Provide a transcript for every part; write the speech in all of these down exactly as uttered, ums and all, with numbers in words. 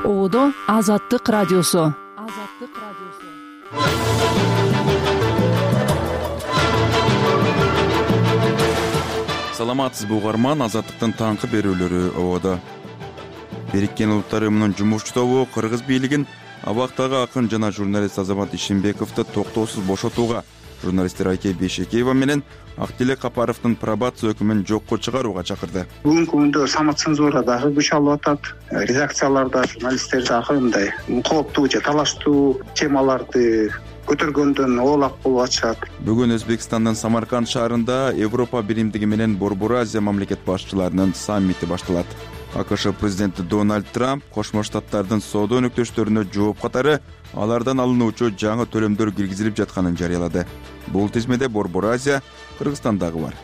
Оодо Азаттык радиосу. Азаттык радиосу. Саламатсызбы угарман, Азаттыктын таңкы берүүлөрү Оодо. Бириккен Улуттар Уюмунун жумушчу тобу Кыргыз бийлигин абактагы акын жана журналист Азамат Ишенбековду токтоосуз бошотууга, журналисттер Айке Бейшекеева менен Актилек Капаровдун пробация өкүмүн жокко чыгарууга чакырды. Бүгүнкү күндө самоцензура дагы күч алып атат. Редакцияларда журналисттер дагы мындай кооптуу же талаштуу темаларды көтөргөндөн оолак болуп атышат. Бүгүн Өзбекстандын Самарканд шаарында Европа биримдиги менен Борбор Азия мамлекет башчыларынын саммити башталат. АКШ президенти Дональд Трамп Кошмо Штаттардын соода өнөктөштөрүнө жооп катары алардан алынуучу жаңы төлөмдөр киргизилип жатканын жарыялады. Бул тизмеде Борбор Азия Кыргызстандагы бар.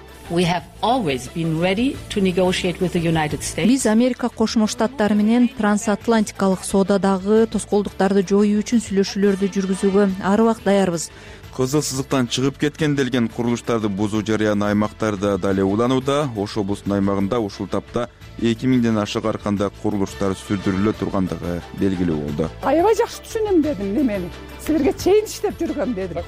Биз Америка Кошмо Штаттары менен трансатлантикалык соодадагы тоскоолдуктарды жоюу үчүн сүйлөшүүлөрдү жүргүзүүгө ар убакыт даярбыз. Кызыл сызыктан чыгып кеткен делген курулуштарды бузуу жарыян аймактарда дале уланууда. Ош облусунун аймагында ушул тапта эки миңден ашык арканда курулуштар сүрдүрүлө тургандыгы белгилүү болду. Аябай жакшы түшүнөм дедим немени. Силерге чейин иштеп жүргөм дедим.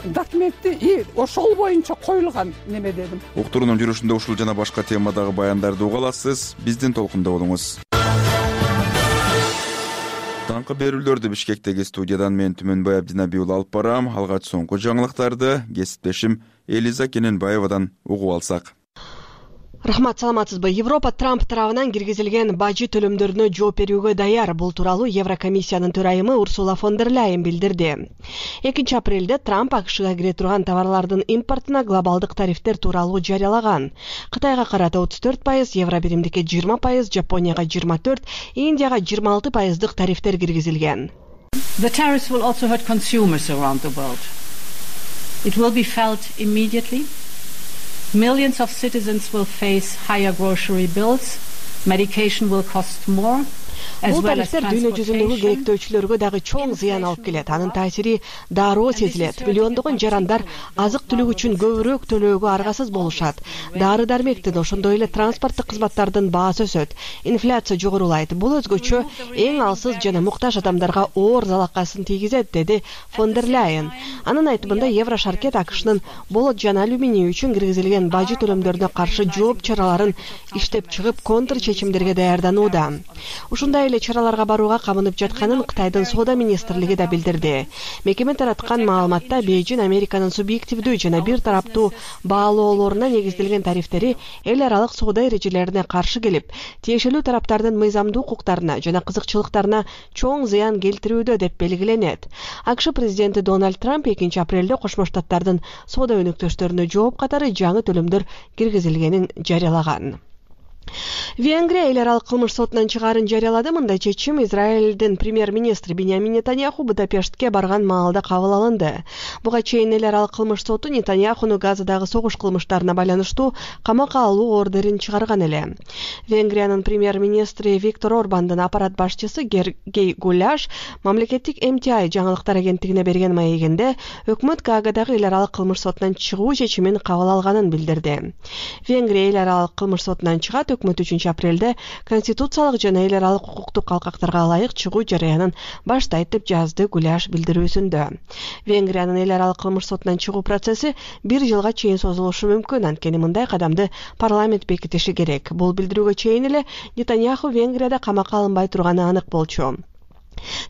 Документти и ошол боюнча коюлган неме дедим. Уктуруунун жүрүшүндө ушул жана башка темадагы баяндарды уга аласыз. Биздин толкунда болуңуз. Таңкы берүүлөрдү Бишкектеги студиядан мен Түмөнбай Абдинабий уулу алып барам. Алгач соңку жаңылыктарды кесиптешим Элиза Кененбаевадан угуп алсак. Рахмат, саламатсызбы. Европа Трамп тарабынан киргизилген бажы төлөмдөрүнө жооп берүүгө даяр. Бул тууралуу Еврокомиссиянын төрайымы Урсула фон дер Ляйен билдирди. экинчи апрелде Трамп АКШга кире турган товарлардын импортуна глобалдык тарифтер тууралуу жарыялаган. Кытайга карата отуз төрт пайыз, Евро биримдикке жыйырма пайыз, Жапонияга жыйырма төрт, Индияга жыйырма алты пайыздык тарифтер киргизилген. The tariffs will also hurt consumers around the world. It will be felt immediately. Millions of citizens will face higher grocery bills. Medication will cost more. Бул тарифтер дүйнө жүзүндөгү керектөөчүлөргө дагы чоң зыян алып келет. Анын таасири дароо сезилет. Миллиондогон жарандар азык түлүк үчүн көбүрөөк төлөөгө аргасыз болушат. Дары дармектин, ошондой эле транспорттук кызматтардын баасы өсөт. Инфляция жогорулайт. Бул өзгөчө эң алсыз жана муктаж адамдарга оор залакасын тийгизет, деди фон дер Ляйен. Анын айтымында Еврошаркет АКШнын болот жана алюминий үчүн киргизилген бажы төлөмдөрүнө каршы жооп чараларын иштеп чыгып, контр чечимдерге даярданууда. Ушундай эле чараларга барууга камынып жатканын Кытайдын соода министрлиги да билдирди. Мекеме тараткан маалыматта Бейжин Американын субъективдүү жана бир тараптуу баалоолоруна негизделген тарифтери эл аралык соода эрежелерине каршы келип, тиешелүү тараптардын мыйзамдуу укуктарына жана кызыкчылыктарына чоң зыян келтирүүдө деп белгиленет. АКШ президенти Дональд Трамп экинчи апрелде Кошмо Штаттардын соода өнөктөштөрүнө жооп катары жаңы төлөмдөр киргизилгенин жарыялаган. Венгрия эл аралык кылмыш сотунан чыгаарын жарыялады. Мындай чечим Израилдин премьер-министри Биньямин Нетаньяху Будапештке барган маалда кабыл алынды. Буга чейин эл аралык кылмыш соту Нетаньяхуну Газадагы согуш кылмыштарына байланыштуу камакка алуу ордерин чыгарган эле. Венгриянын премьер-министри Виктор Орбандын аппарат башчысы Гергей Гуляш мамлекеттик эм ти ай жаңылыктар агенттигине берген маегинде өкмөт Гаагадагы эл аралык кылмыш сотунан чыгуу чечимин кабыл алганын билдирди. Венгрия эл аралык кылмыш сотунан чыгат. Өкмөт үчүнчү апрелде конституциялык жана эл аралык укуктук калкактарга ылайык чыгуу жарыянын баштайт деп жазды Гуляш билдирүүсүндө. Венгриянын эл аралык кылмыш сотунан чыгуу процесси бир жылга чейин созулушу мүмкүн. Анткени мындай кадамды парламент бекитиши керек. Бул билдирүүгө чейин эле Нетаньяху Венгрияда камакка алынбай турганы анык болчу.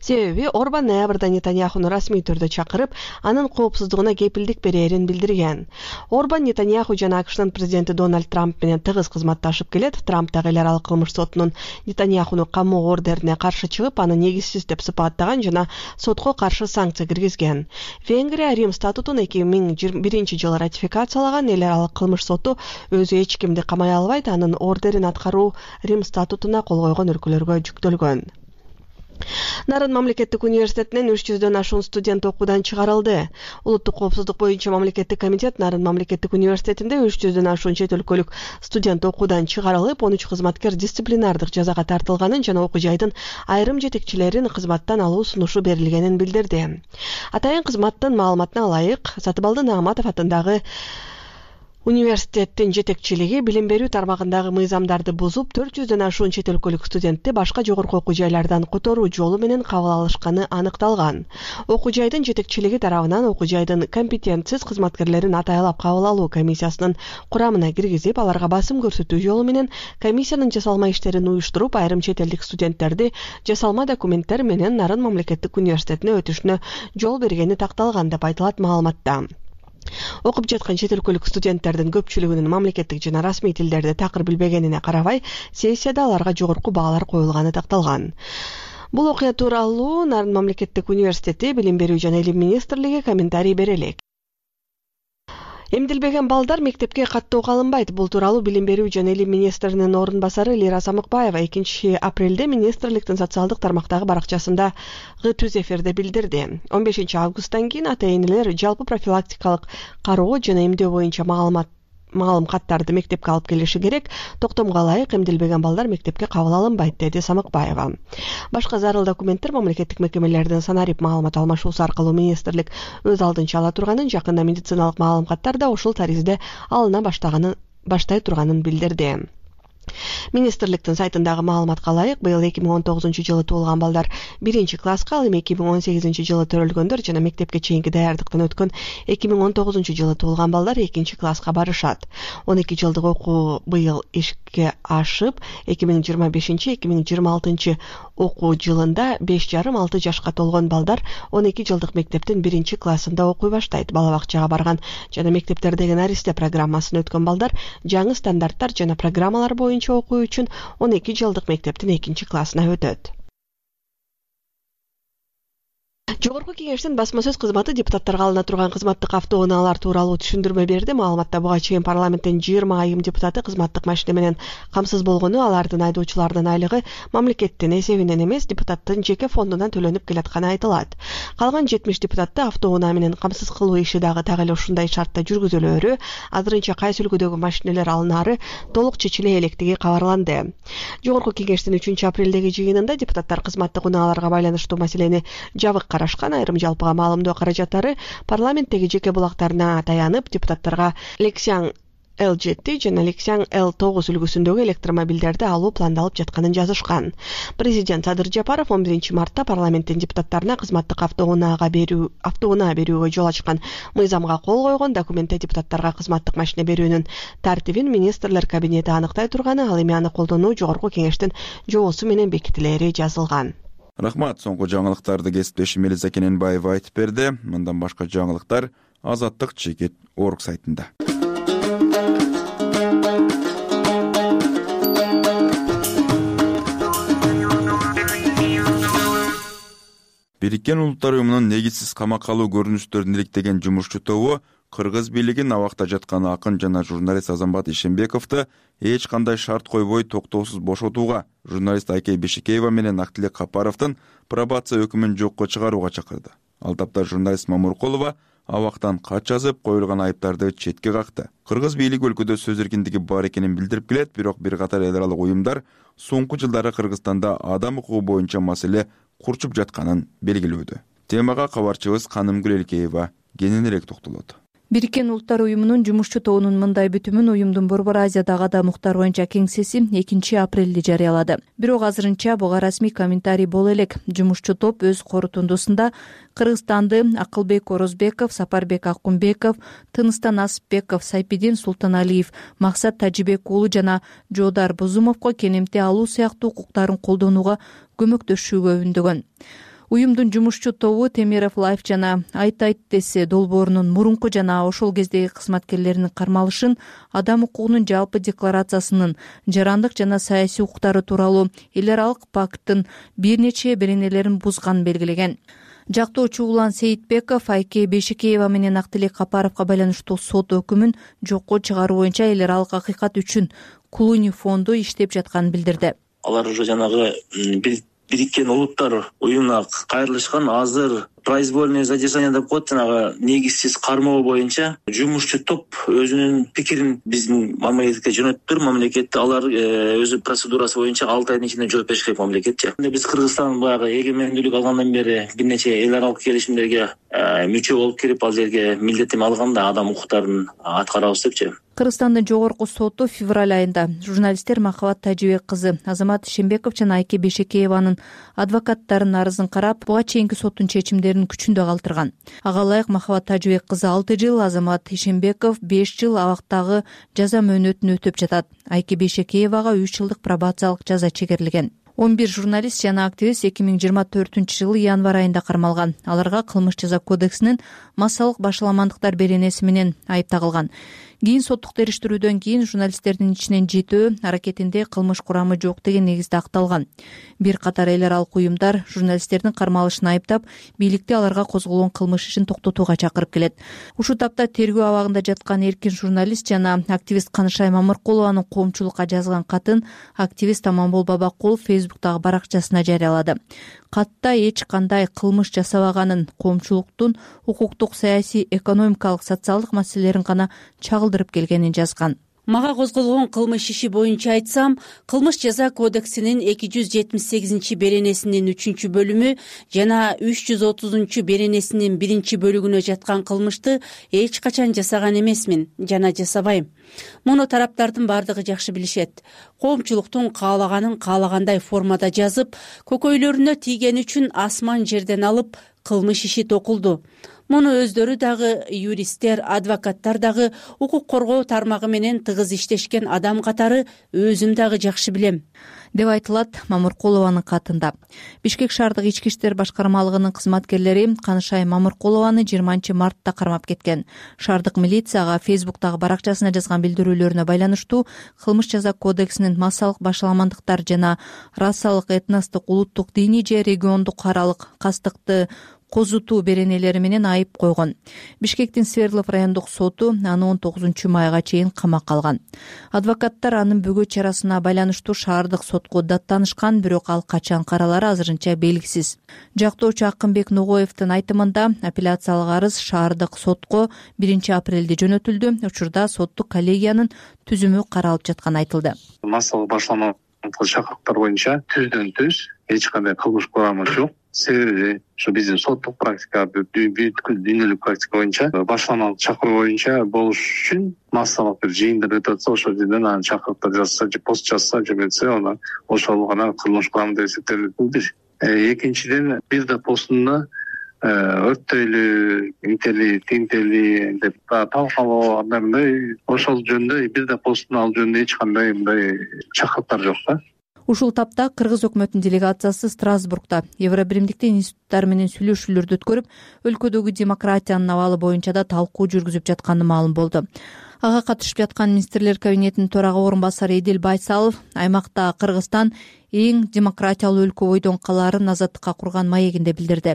Себеби Орбан ноябрда Нетаньяхуну расмий түрдө чакырып, анын коопсуздугуна кепилдик берерин билдирген. Орбан Нетаньяху жана АКШнын президенти Дональд Трамп менен тыгыз кызматташып келет. Трамп дагы эл аралык кылмыш сотунун Нетаньяхуну камоо ордерине каршы чыгып, аны негизсиз деп сыпаттаган жана сотко каршы санкция киргизген. Венгрия Рим статутун эки миң жыйырма биринчи жылы ратификациялаган. Эл аралык кылмыш соту өзү эч кимди камай албайт, анын ордерин аткаруу Рим статутуна кол койгон өлкөлөргө жүктөлгөн. Нарын мамлекеттик университетинен үч жүздөн ашуун студент окуудан чыгарылды. Улуттук коопсуздук боюнча мамлекеттик комитет Нарын мамлекеттик университетинде үч жүздөн ашуун чет өлкөлүк студент окуудан чыгарылып, он үч кызматкер дисциплинардык жазага тартылганын жана окуу жайдын айрым жетекчилерин кызматтан алуу сунушу берилгенин билдирди. Атайын кызматтын маалыматына ылайык, Сатыбалды Нагматов атындагы Университеттин жетекчилиги билим берүү тармагындагы мыйзамдарды бузуп, төрт жүздөн ашуун чет өлкөлүк студентти башка жогорку окуу жайлардан которуу жолу менен кабыл алышканы аныкталган. Окуу жайдын жетекчилиги тарабынан окуу жайдын компетентсиз кызматкерлерин атайлап кабыл алуу комиссиясынын курамына киргизип, аларга басым көрсөтүү жолу менен комиссиянын жасалма иштерин уюштуруп, айрым чет элдик студенттерди жасалма документтер менен Нарын мамлекеттик университетине өтүшүнө жол бергени такталган деп айтылат маалыматта. Окуп жаткан чет өлкөлүк студенттердин көпчүлүгүнүн мамлекеттик жана расмий тилдерди такыр билбегенине карабай, сессияда аларга жогорку баалар коюлганы такталган. Бул окуя тууралуу Нарын мамлекеттик университети Билим берүү жана илим министрлиги комментарий бере элек. Эмдилбеген балдар мектепке каттоо калынбайт. Бул тууралуу Билим берүү жана илим министринин орун басары Лира Самыкбаева экинчи апрелде министрликтин социалдык тармактагы баракчасында түз эфирде билдирди. он бешинчи августтан кийин ата-энелер жалпы профилактикалык кароо жана эмдөө боюнча маалымат маалым каттарды мектепке алып келиши керек. Токтомго ылайык эмдилбеген балдар мектепке кабыл алынбайт, деди Самыкбаева. Башка зарыл документтер мамлекеттик мекемелердин санарип маалымат алмашуусу аркылуу министрлик өз алдынча ала турганын, жакында медициналык маалым каттар да ушул таризде алына баштаганын баштай турганын билдирди. Министрликтин сайтындагы маалыматка ылайык, быйыл эки миң он тогузунчу жылы туулган балдар биринчи класска, ал эми эки миң он сегизинчи жылы төрөлгөндөр жана мектепке чейинки даярдыктан өткөн эки миң он тогузунчу жылы туулган балдар экинчи класска барышат. он эки жылдык окуу быйыл ишке ашып, эки миң жыйырма бешинчи эки миң жыйырма алтынчы окуу жылында беш жарым алты жашка толгон балдар он эки жылдык мектептин биринчи классында окуй баштайт. Бала бакчага барган жана мектептердеги наристе программасын өткөн балдар жаңы стандарттар жана программалар боюнча окуу үчүн он эки жылдык мектептин экинчи классына өтөт. Жогорку кеңештин басма сөз кызматы депутаттарга алына турган кызматтык автоунаалар тууралуу түшүндүрмө берди. Маалыматта буга чейин парламенттин жыйырма айым депутаты кызматтык машине менен камсыз болгону, алардын айдоочулардын айлыгы мамлекеттин эсебинен эмес, депутаттын жеке фондунан төлөнүп келатканы айтылат. Калган жетимиш депутатты автоунаа менен камсыз кылуу иши дагы так эле ушундай шартта жүргүзүлөөрү, азырынча кайсы үлгүдөгү машинелер алынаары толук чечиле электиги кабарланды. Жогорку кеңештин үчүнчү апрелдеги жыйынында депутаттар кызматтык унааларга байланыштуу маселени жабык карашкан. Айрым жалпыга маалымдоо каражаттары парламенттеги жеке булактарына таянып, депутаттарга Lexan Л жети жана Lexan Л тогуз үлгүсүндөгү электромобилдерди алуу пландалып жатканын жазышкан. Президент Садыр Жапаров он биринчи мартта парламенттин депутаттарына кызматтык автоунаага берүү автоунаа берүүгө жол ачкан мыйзамга кол койгон. Документте депутаттарга кызматтык машине берүүнүн тартибин министрлер кабинети аныктай турганы, ал эми аны колдонуу жогорку кеңештин жобосу менен бекитилери жазылган. Рахмат. Соңку жаңылыктарды кесиптешим Элиза Кененбаева айтып берди. Мындан башка жаңылыктар Азаттык чекит орг сайтында. Бириккен Улуттар уюмунун негизсиз камакка алуу көрүнүштөрүн иликтеген жумушчу тобу Кыргыз бийлигин абакта жаткан акын жана журналист Азамбат Ишембековду эч кандай шарт койбой токтоосуз бошотууга, журналист Айкей Бешикеева менен Актилек Капаровдун пробация өкүмүн жокко чыгарууга чакырды. Ал тапта журналист Мамуркулова абактан кат жазып, коюлган айыптарды четке какты. Кыргыз бийлиги өлкөдө сөз эркиндиги бар экенин билдирип келет, бирок бир катар эл аралык уюмдар соңку жылдары Кыргызстанда адам укугу боюнча маселе курчуп жатканын белгилөөдө. Темага кабарчыбыз Канымгүл Элкеева кененирээк токтолот. Бириккен Улуттар уюмунун жумушчу тобунун мындай бүтүмүн уюмдун Борбор Азиядагы адам укуктары боюнча кеңсеси экинчи апрелде жарыялады. Бирок азырынча буга расмий комментарий боло элек. Жумушчу топ өз корутундусунда Кыргызстанды Акылбек Орозбеков, Сапарбек Акунбеков, Тыныстан Асыпбеков, Сайпидин Султаналиев, Максат Тажибек уулу жана Жоодар Бузумовго келемте алуу сыяктуу укуктарын колдонууга көмөктөшүүгө үндөгөн. Уюмдун жумушчу тобу Темиров Лайф жана Айт Айт десе долбоорунун мурунку жана ошол кездеги кызматкерлеринин кармалышын, адам укугунун жалпы декларациясынын жарандык жана саясий укуктары тууралуу эл аралык пакттын бир нече беренелерин бузганын белгилеген. Жактоочу Улан Сейитбеков Айкей Бешикеева менен Актилек Капаровго байланыштуу сот өкүмүн жокко чыгаруу боюнча эл аралык акыйкат үчүн Клуни фонду иштеп жатканын билдирди. Алар уже жанагы Бириккен Улуттар уюмуна кайрылышкан, азыр произвольное задержание деп коет, жанагы негизсиз кармоо боюнча жумушчу топ өзүнүн пикирин биздин мамлекетке жөнөттүр. Мамлекет алар өзү процедурасы боюнча алты айдын ичинде жооп бериш керек мамлекетчи. Биз Кыргызстан баягы эгемендүүлүк алгандан бери бир нече эл аралык келишимдерге мүчө болуп кирип, ал жерге милдеттенме алганда адам укуктарын аткарабыз депчи. Кыргызстандын жогорку соту февраль айында журналисттер Махабат Тажибек кызы Азамат Ишенбеков жана Айке Бейшекееванын адвокаттарынын арызын карап, буга чейинки соттун чечимдерин күчүндө калтырган. Ага ылайык Махабат Тажибек кызы алты жыл, Азамат Ишенбеков беш жыл абактагы жаза мөөнөтүн өтөп жатат. Айке Бейшекеевага үч жылдык пробациялык жаза чегерилген. он бир журналист жана активист эки миң жыйырма төртүнчү жылы январь айында кармалган. Аларга кылмыш жаза кодексинин массалык башаламандыктар беренеси менен айып тагылган. Кийин соттук териштирүүдөн кийин журналисттердин ичинен жетөө аракетинде кылмыш курамы жок деген негизде акталган. Бир катар эл аралык уюмдар журналисттердин кармалышын айыптап, бийликти аларга козголгон кылмыш ишин токтотууга чакырып келет. Ушул тапта тергөө абагында жаткан эркин журналист жана активист Канышай Мамыркулованын коомчулукка жазган катын активист Аманбол Бабакулов Фейсбуктагы баракчасына жарыялады. Катта эч кандай кылмыш жасабаганын, коомчулуктун укуктук, саясий, экономикалык, социалдык маселелерин гана чагылдырып келгенин жазган. Мага козголгон кылмыш иши боюнча айтсам, кылмыш жаза кодексинин эки жүз жетимиш сегизинчи беренесинин үчүнчү бөлүмү жана үч жүз отузунчу беренесинин биринчи бөлүгүнө жаткан кылмышты эч качан жасаган эмесмин жана жасабайм. Муну тараптардын бардыгы жакшы билишет. Коомчулуктун каалаганын каалагандай формада жазып, көкөйлөрүнө тийгени үчүн асман жерден алып кылмыш иши токулду. Муну өздөрү дагы, юристтер, адвокаттар дагы, укук коргоо тармагы менен тыгыз иштешкен адам катары өзүм дагы жакшы билем, деп айтылат Мамыркулованын катында. Бишкек шаардык ички иштер башкармалыгынын кызматкерлери Канышай Мамыркулованы жыйырманчы мартта кармап кеткен. Шаардык милицияга Фейсбуктагы баракчасына жазган билдирүүлөрүнө байланыштуу кылмыш жаза кодексинин массалык башаламандыктар жана расалык, этностук, улуттук, диний же региондук аралык кастыкты козутуу беренелери менен айып койгон. Бишкектин Свердлов райондук соту аны он тогузунчу майга чейин камакка алган. Адвокаттар анын бөгөө чарасына байланыштуу шаардык сотко даттанышкан, бирок ал качан каралары азырынча белгисиз. Жактоочу Акынбек Ногоевдин айтымында апелляциялык арыз шаардык сотко биринчи апрелде жөнөтүлдү. Учурда соттук коллегиянын түзүмү каралып жатканы айтылды. Массалык башаламандык чакырыктар боюнча түздөн түз эч кандай кылмыш курамы жок. Себеби ушу биздин соттук практика, бүткүл дүйнөлүк практика боюнча башаламалык чакыруу боюнча болуш үчүн массалык бир жыйындар өтүп атса, ошол жерден анан чакырыктар жазса же пост жазса жөнөтсө, аны ошол гана кылмыш курамы деп эсептелет. Экинчиден, бир да постунда өрттөйлү, интели, тинтели деп талкалоо, андай ошол жөнүндө бир да постун ал жөнүндө эч кандай мындай чакырыктар жок да. Ушул тапта кыргыз өкмөтүнүн делегациясы Страсбургда Евробиримдиктин институттары менен сүйлөшүүлөрдү өткөрүп, өлкөдөгү демократиянын абалы боюнча да талкуу жүргүзүп жатканы маалым болду. Ага катышып жаткан министрлер кабинетинин төрага орун басары Эдил Байсалов аймакта Кыргызстан эң демократиялуу өлкө бойдон калаарын азаттыкка курган маегинде билдирди.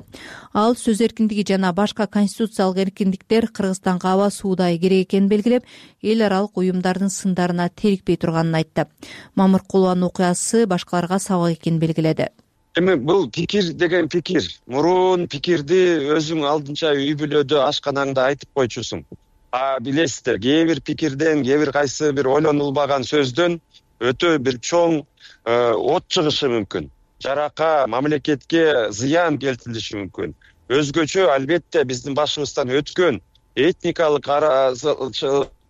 Ал сөз эркиндиги жана башка конституциялык эркиндиктер Кыргызстанга аба суудай керек экенин белгилеп, эл аралык уюмдардын сындарына терикпей турганын айтты. Мамыркулованын окуясы башкаларга сабак экенин белгиледи. Эми бул пикир деген пикир. Мурун пикирди өзүң алдынча үй бүлөдө ашканаңда айтып койчусуң. А билесиздер, кээ бир пикирден, кээ бир кайсы бир ойлонулбаган сөздөн өтө бир чоң от чыгышы мүмкүн. Жарака, мамлекетке зыян келтирилиши мүмкүн. Өзгөчө албетте биздин башыбыздан өткөн этникалык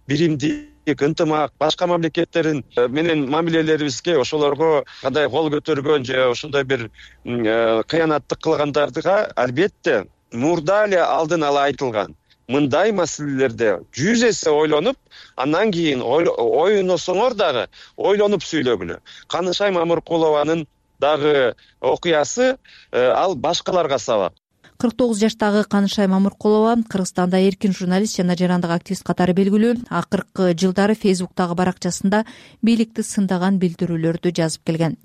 биримдик, ынтымак, башка мамлекеттерин менен мамилелерибизге ошолорго кандай кол көтөргөн же ошондой бир кыянаттык кылгандардыга албетте мурда эле алдын ала айтылган. Мындай маселелерде жүз эсе ойлонуп, андан кийин ойносоңор дагы ойлонуп сүйлөгүлө. Канышай Мамыркулованын дагы окуясы ал башкаларга сабак. кырк тогуз жаштагы Канышай Мамыркулова Кыргызстанда эркин журналист жана жарандык активист катары белгилүү. Акыркы жылдары Фейсбуктагы баракчасында бийликти сындаган билдирүүлөрдү жазып келген.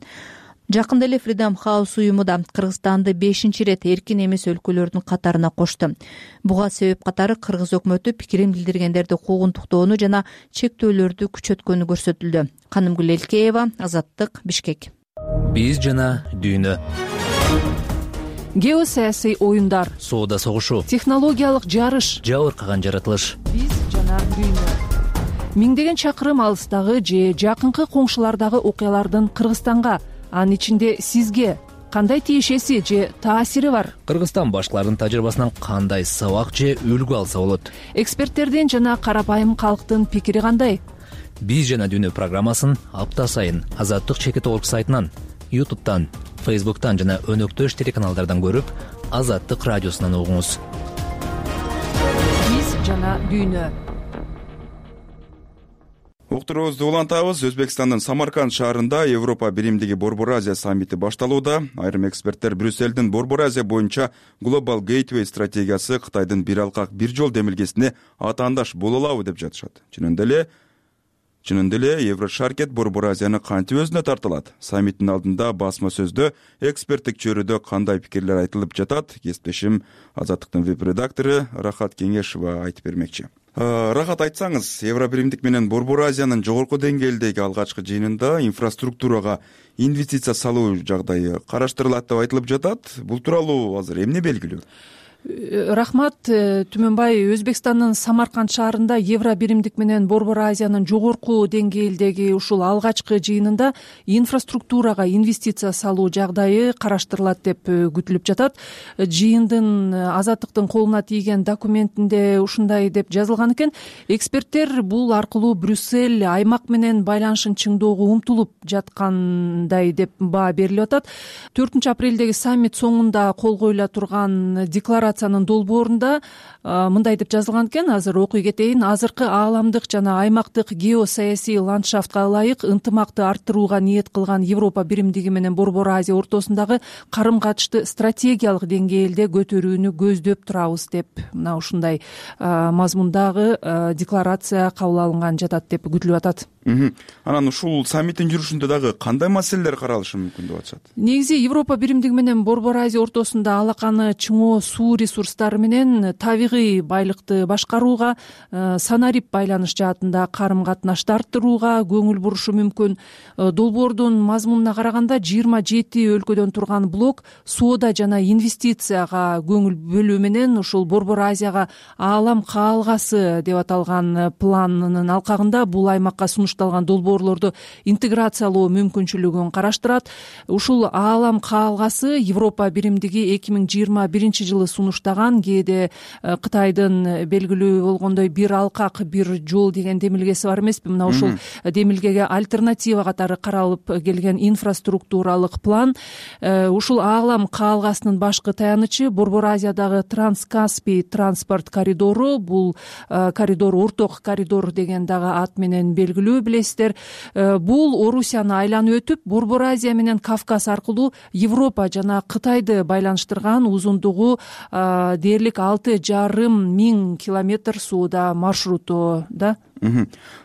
Жакында эле Freedom House уюму да Кыргызстанды бешинчи ирет эркин эмес өлкөлөрдүн катарына кошту. Буга себеп катары кыргыз өкмөтү пикирин билдиргендерди куугунтуктоону жана чектөөлөрдү күчөткөнү көрсөтүлдү. Канымгүл Элкеева, Азаттык, Бишкек. Биз жана дүйнө. Геосаясий оюндар, соода согушу, технологиялык жарыш, жабыркаган жаратылыш. Биз жана дүйнө. Миңдеген чакырым алыстагы же жакынкы коңшулардагы окуялардын Кыргызстанга, анын ичинде сизге кандай тиешеси же таасири бар? Кыргызстан башкаларынын тажрыйбасынан кандай сабак же үлгү алса болот? Эксперттердин жана карапайым калктын пикири кандай? Биз жана дүйнө программасын апта сайын Азаттык чекит орг сайтынан, ютубтан, фейсбуктан жана өнөктөш телеканалдардан көрүп, Азаттык радиосунан угуңуз. Биз жана дүйнө. Уктуруубузду улантабыз. Өзбекстандын Самарканд шаарында Европа биримдиги Борбор Азия саммити башталууда. Айрым эксперттер Брюсселдин Борбор Азия боюнча Global Gateway стратегиясы Кытайдын бир алкак бир жол демилгесине атаандаш боло алабы деп жатышат. Чынында эле Чынында эле Еврошаркет Борбор Азияны кантип өзүнө тартылат? Саммиттин алдында басма сөздө эксперттик чөйрөдө кандай пикирлер айтылып жатат? Кесиптешим Азаттыктын веб-редактору Рахат Кеңешова айтып бермекчи. Рахат, айтсаңыз, Евробиримдик менен Борбор Азиянын жогорку деңгээлдеги алгачкы жыйынында инфраструктурага инвестиция салуу жагдайы караштырылат деп айтылып жатат. Бул тууралуу азыр эмне белгилүү? Рахмат, Түмөнбай. Өзбекстандын Самарканд шаарында Евробиримдик менен Борбор Азиянын жогорку деңгээлдеги ушул алгачкы жыйынында инфраструктурага инвестиция салуу жагдайы караштырылат деп күтүлүп жатат. Жыйындын Азаттыктын колуна тийген документинде ушундай деп жазылган экен. Эксперттер бул аркылуу Брюссель аймак менен байланышын чыңдоого умтулуп жаткандай деп баа берилип атат. төртүнчү апрелдеги саммит соңунда кол коюла турган декларация долбоорунда мындай деп жазылган экен. Азыр окуй кетейин. Азыркы ааламдык жана аймактык геосаясий ландшафтка ылайык ынтымакты арттырууга ниет кылган Европа биримдиги менен Борбор Азия ортосундагы карым-катышты стратегиялык деңгээлде көтөрүүнү көздөп турабыз деп мына ушундай мазмундагы декларация кабыл алынган жатат деп күтүлүп атат. Анан ушул саммиттин жүрүшүндө дагы кандай маселелер каралышы мүмкүн деп атышат? Негизи Европа биримдиги менен Борбор Азия ортосунда алаканы чыңоо суу ресурстары менен табигый байлыкты башкарууга, санарип байланыш жаатында карым-катнашты арттырууга көңүл бурушу мүмкүн. Долбоордун мазмунуна караганда жыйырма жети өлкөдөн турган блок соода жана инвестицияга көңүл бөлүү менен ушул Борбор Азияга аалам каалгасы деп аталган планынын алкагында бул аймакка сунушталган долбоорлорду интеграциялоо мүмкүнчүлүгүн караштырат. Ушул аалам каалгасы Европа биримдиги эки миң жыйырма биринчи жылы сунуштаган, кээде Кытайдын белгилүү болгондой бир алкак бир жол деген демилгеси бар эмеспи? Мына ушул демилгеге альтернатива катары каралып келген инфраструктуралык план. Ушул аалам каалгасынын башкы таянычы Борбор Азиядагы Транскаспий транспорт коридору. Бул коридор орток коридор деген дагы ат менен белгилүү, билесиздер. Бул Орусияны айланып өтүп, Борбор Азия менен Кавказ аркылуу Европа жана Кытайды байланыштырган узундугу дээрлик алты жарым миң километр сууда маршруту да.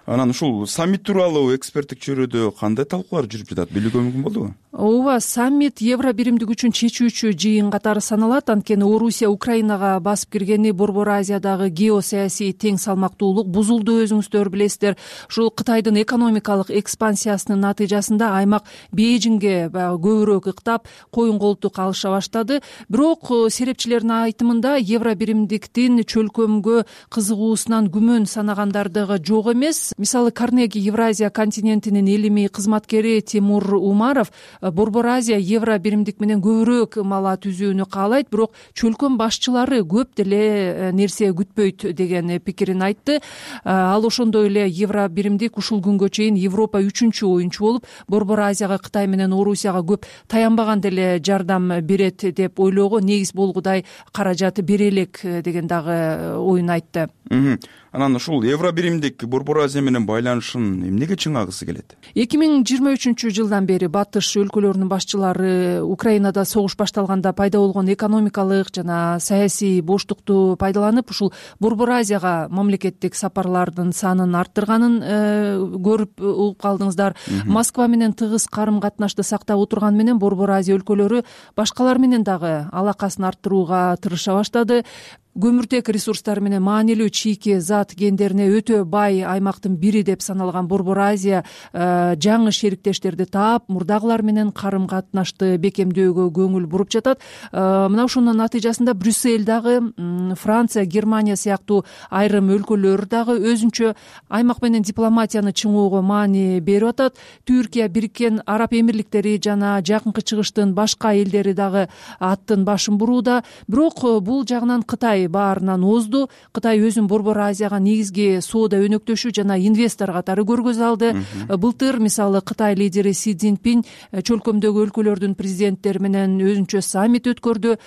Анан ушул саммит тууралуу эксперттик чөйрөдө кандай талкуулар жүрүп жатат? Билүүгө мүмкүн болдубу? Ооба, саммит Евробиримдик үчүн чечүүчү жыйын катары саналат. Анткени Орусия Украинага басып киргени Борбор Азиядагы геосаясий тең салмактуулук бузулду, өзүңүздөр билесиздер. Ушул Кытайдын экономикалык экспансиясынын натыйжасында аймак Бейжиңге көбүрөөк ыктап, коюн колтук алыша баштады. Бирок серепчилердин айтымында Евробиримдиктин чөлкөмгө кызыгуусунан күмөн санагандардыгы жок эмес. Мисалы, Карнеги Евразия континентинин илимий кызматкери Тимур Умаров Борбор Азия Евробиримдик менен көбүрөөк мала түзүүнү каалайт, бирок чөлкөм башчылары көп деле нерсе күтпөйт деген пикирин айтты. Ал ошондой эле Евробиримдик ушул күнгө чейин Европа үчүнчү оюнчу болуп, Борбор Азияга Кытай менен Орусияга көп таянбаган деле жардам берет деп ойлоого негиз болгудай каражат бере элек деген дагы оюн айтты. Анан ушул Евробиримдик Борбор Азия менен байланышын эмнеге чыңагысы келет? эки миң жыйырма үчүнчү жылдан бери батыш өлкөлөрүнүн башчылары Украинада согуш башталганда пайда болгон экономикалык жана саясий боштукту пайдаланып, ушул Борбор Азияга мамлекеттик сапарлардын санын арттырганын көрүп угуп калдыңыздар. Москва менен тыгыз карым-катнашты сактап отурган менен Борбор Азия өлкөлөрү башкалар менен дагы алакасын арттырууга тырыша баштады. көмүртек ресурстары менен маанилүү чийки зат кендерине өтө бай аймактын бири деп саналган Борбор Азия жаңы шериктештерди таап, мурдагылар менен карым катнашты бекемдөөгө көңүл буруп жатат. Мына ошонун натыйжасында Брюссель дагы, Франция, Германия сыяктуу айрым өлкөлөр дагы өзүнчө аймак менен дипломатияны чыңоого маани берип атат. Түркия, Бириккен Араб Эмирликтери жана Жакынкы Чыгыштын башка элдери дагы аттын башын бурууда. Бирок бул жагынан Кытай баарынан озду. Кытай өзүн Борбор Азияга негизги соода өнөктөшү жана инвестор катары көргөзө алды. Былтыр мисалы Кытай лидери Си Цзиньпин чөлкөмдөгү өлкөлөрдүн президенттери менен өзүнчө саммит өткөрдү.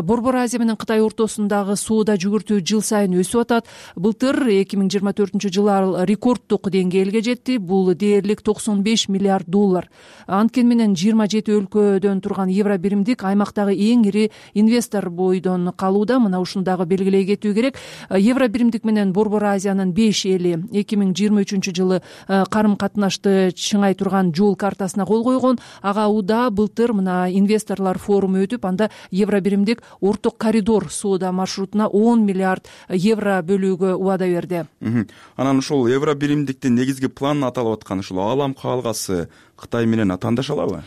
Борбор Азия менен Кытай ортосундагы соода жүгүртүү жыл сайын өсүп атат. Былтыр эки миң жыйырма төртүнчү жылы ал рекорддук деңгээлге жетти. Бул дээрлик токсон беш миллиард доллар. Анткени менен жыйырма жети өлкөдөн турган Евробиримдик аймактагы эң ири инвестор бойдон калууда. Мына ушуну дагы белгилей кетүү керек. Евробиримдик менен Борбор Азиянын беш эли эки миң жыйырма үчүнчү жылы карым катнашты чыңай турган жол картасына кол койгон. Ага уда былтыр мына инвесторлор форуму өтүп, анда Евробиримдик орток коридор соода маршрутуна он миллиард евро бөлүүгө убада берди. Анан ушул Евробиримдиктин негизги планын аталып аткан ушул аалам каалгасы Кытай менен атаандаша алабы?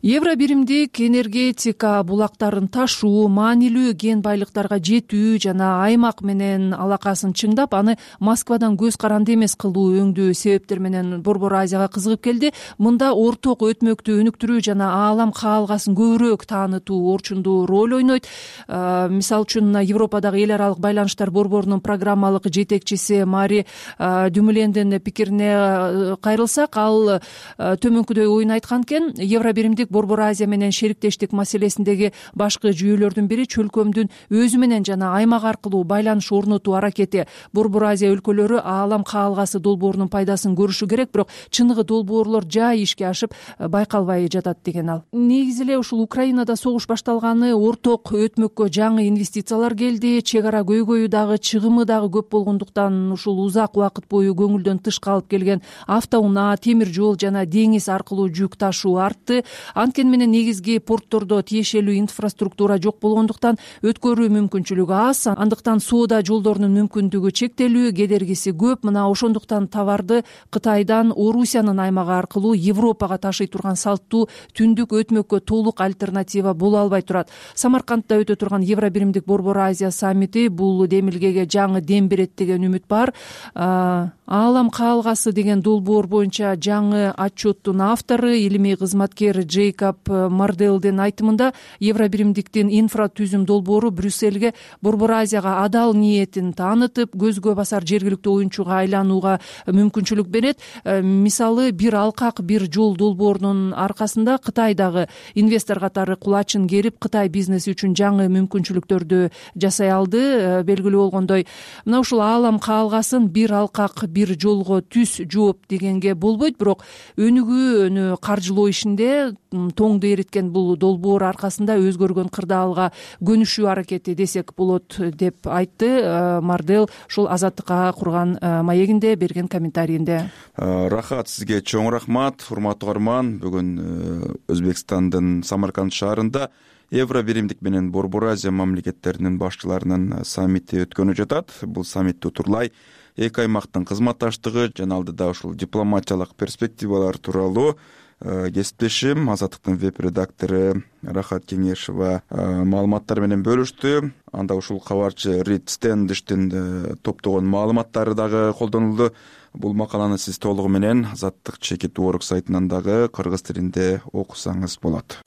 Евробиримдик энергетика булактарын ташуу, маанилүү кен байлыктарга жетүү жана аймак менен алакасын чыңдап, аны Москвадан көз каранды эмес кылуу өңдүү себептер менен Борбор Азияга кызыгып келди. Мында орток өтмөктү өнүктүрүү жана аалам каалгасын көбүрөөк таанытуу орчундуу роль ойнойт. Мисалы үчүн Европадагы эл аралык байланыштар борборунун программалык жетекчиси Мари Дюмлендин пикирине кайрылсак, ал төмөнкүдөй оюн айткан экен. Евробиримдик Борбор Азия менен шериктештик маселесиндеги башкы жүйөлөрдүн бири чөлкөмдүн өзү менен жана аймак аркылуу байланыш орнотуу аракети. Борбор Азия өлкөлөрү аалам каалгасы долбоорунун пайдасын көрүшү керек, бирок чыныгы долбоорлор жай ишке ашып байкалбай жатат деген ал. Негизи эле ушул Украинада согуш башталганы, орток өтмөккө жаңы инвестициялар келди, чек ара көйгөйү дагы, чыгымы дагы көп болгондуктан ушул узак убакыт бою көңүлдөн тыш калып келген автоунаа, темир жол жана деңиз аркылуу жүк ташуу артты. Анткени менен негизги порттордо тиешелүү инфраструктура жок болгондуктан өткөрүү мүмкүнчүлүгү аз, андыктан соода жолдорунун мүмкүндүгү чектелүү, кедергиси көп. Мына ошондуктан товарды Кытайдан Орусиянын аймагы аркылуу Европага ташый турган салттуу түндүк өтмөккө толук альтернатива боло албай турат. Самаркандда өтө турган Евробиримдик Борбор Азия саммити бул демилгеге жаңы дем берет деген үмүт бар. Аалам каалгасы деген долбоор боюнча жаңы отчеттун автору, илимий кызматкер Джейкоб Марделдин айтымында, Евробиримдиктин инфратүзүм долбоору Брюссельге Борбор Азияга адал ниетин таанытып, көзгө басар жергиликтүү оюнчуга айланууга мүмкүнчүлүк берет. Мисалы, бир алкак, бир жол долбоорунун аркасында Кытай дагы инвестор катары кулачын керип, Кытай бизнеси үчүн жаңы мүмкүнчүлүктөрдү жасай алды. Белгилүү болгондой, мына ушул аалам каалгасын бир алкак, бир жолго түз жооп дегенге болбойт, бирок өнүгүүнү каржылоо ишинде тоңду эриткен бул долбоор аркасында өзгөргөн кырдаалга көнүшүү аракети десек болот деп айтты Мардел ушул Азаттыкка курган маегинде берген комментарийинде. Рахат, сизге чоң рахмат. Урматтуу угарман, бүгүн Өзбекстандын Самарканд шаарында Евробиримдик менен Борбор Азия мамлекеттеринин башчыларынын саммити өткөнүп жатат. Бул саммитти утурлай эки аймактын кызматташтыгы жана алдыда ушул дипломатиялык перспективалар тууралуу кесиптешим Азаттыктын веб-редактору Рахат Кеңешова маалыматтар менен бөлүштү. Анда ушул кабарчы Рид Стендиштин топтогон маалыматтары дагы колдонулду. Бул макаланы сиз толугу менен Азаттык чекит орг сайтынан дагы кыргыз тилинде окусаңыз болот.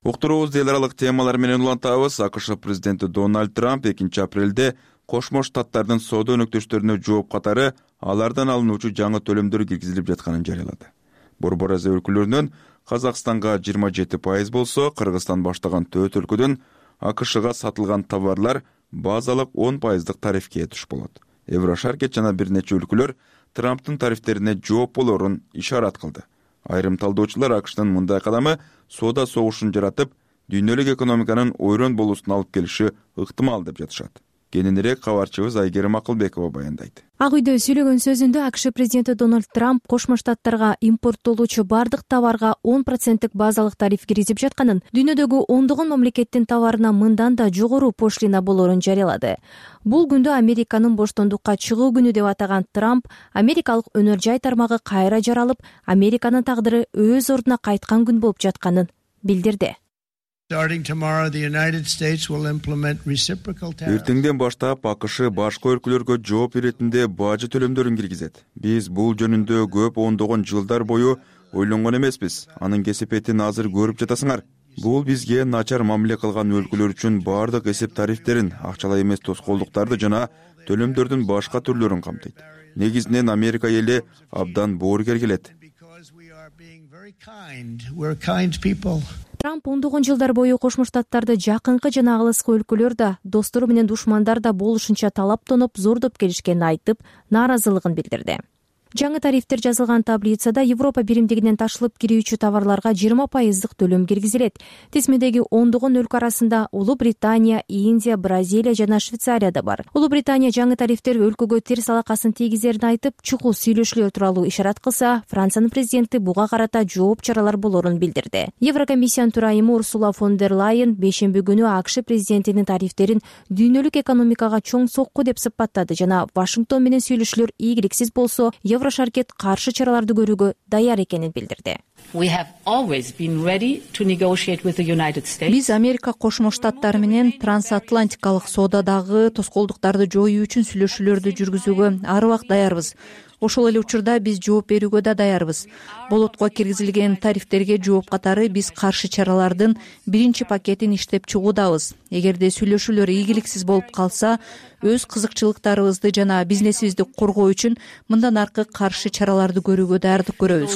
Уктуруубузду эл аралык темалар менен улантабыз. АКШ президенти Дональд Трамп экинчи апрелде Кошмо Штаттардын соода өнөктөштөрүнө жооп катары алардан алынуучу жаңы төлөмдөр киргизилип жатканын жарыялады. Борбор Азия өлкөлөрүнөн Казакстанга жыйырма жети пайыз болсо, Кыргызстан баштаган төрт өлкөдөн АКШга сатылган товарлар базалык он пайыздык тарифке туш болот. Еврошаркет жана бир нече өлкөлөр Трамптын тарифтерине жооп болорун ишарат кылды. Айрым талдоочулар АКШнын мындай кадамы соода согушун жаратып, дүйнөлүк экономиканын ойрон болуусуна алып келиши ыктымал деп жатышат. Кененирээк кабарчыбыз Айгерим Акылбекова баяндайт. Ак үйдө сүйлөгөн сөзүндө АКШ президенти Дональд Трамп Кошмо Штаттарга импорттолуучу бардык товарга он проценттик базалык тариф киргизип жатканын, дүйнөдөгү ондогон мамлекеттин товарына мындан да жогору пошлина болоорун жарыялады. Бул күндү Американын боштондукка чыгуу күнү деп атаган Трамп Америкалык өнөр жай тармагы кайра жаралып, Американын тагдыры өз ордуна кайткан күн болуп жатканын билдирди. Эртеңден баштап АКШ башка өлкөлөргө жооп иретинде бажы төлөмдөрүн киргизет. Биз бул жөнүндө көп ондогон жылдар бою ойлонгон эмеспиз. Анын кесепетин азыр көрүп жатасыңар. Бул бизге начар мамиле кылган өлкөлөр үчүн бардык эсеп тарифтерин, акчалай эмес тоскоолдуктарды жана төлөмдөрдүн башка түрлөрүн камтыйт. Негизинен Америка эли абдан боорукер келет. Трамп ондогон жылдар бою Кошмо Штаттарды жакынкы жана алыскы өлкөлөр да, достору менен душмандар да болушунча талаптоноп, зордоп келишкенин айтып, нааразылыгын билдирди. Жаңы тарифтер жазылган таблицада Европа биримдигинен ташылып кирүүчү товарларга жыйырма пайыздык төлөм киргизилет. Тизмедеги ондогон өлкө арасында Улуу Британия, Индия, Бразилия жана Швейцария да бар. Улуу Британия жаңы тарифтер өлкөгө терс алакасын тийгизерин айтып, чукул сүйлөшүүлөр тууралуу ишарат кылса, Франциянын президенти буга карата жооп чаралар болоорун билдирди. Еврокомиссиянын төрайымы Урсула фон дер Лайен бейшемби күнү АКШ президентинин тарифтерин дүйнөлүк экономикага чоң сокку деп сыпаттады жана Вашингтон менен сүйлөшүүлөр ийгиликсиз болсо, Еврошаркет каршы чараларды көрүүгө даяр экенин билдирди. Биз Америка Кошмо Штаттары менен трансатлантикалык соодадагы тоскоолдуктарды жоюу үчүн сүйлөшүүлөрдү жүргүзүүгө ар убак даярбыз. Ошол эле учурда биз жооп берүүгө да даярбыз. Болотко киргизилген тарифтерге жооп катары биз каршы чаралардын биринчи пакетин иштеп чыгуудабыз. Эгерде сүйлөшүүлөр ийгиликсиз болуп калса, өз кызыкчылыктарыбызды жана бизнесибизди коргоо үчүн мындан аркы каршы чараларды көрүүгө даярдык көрөбүз.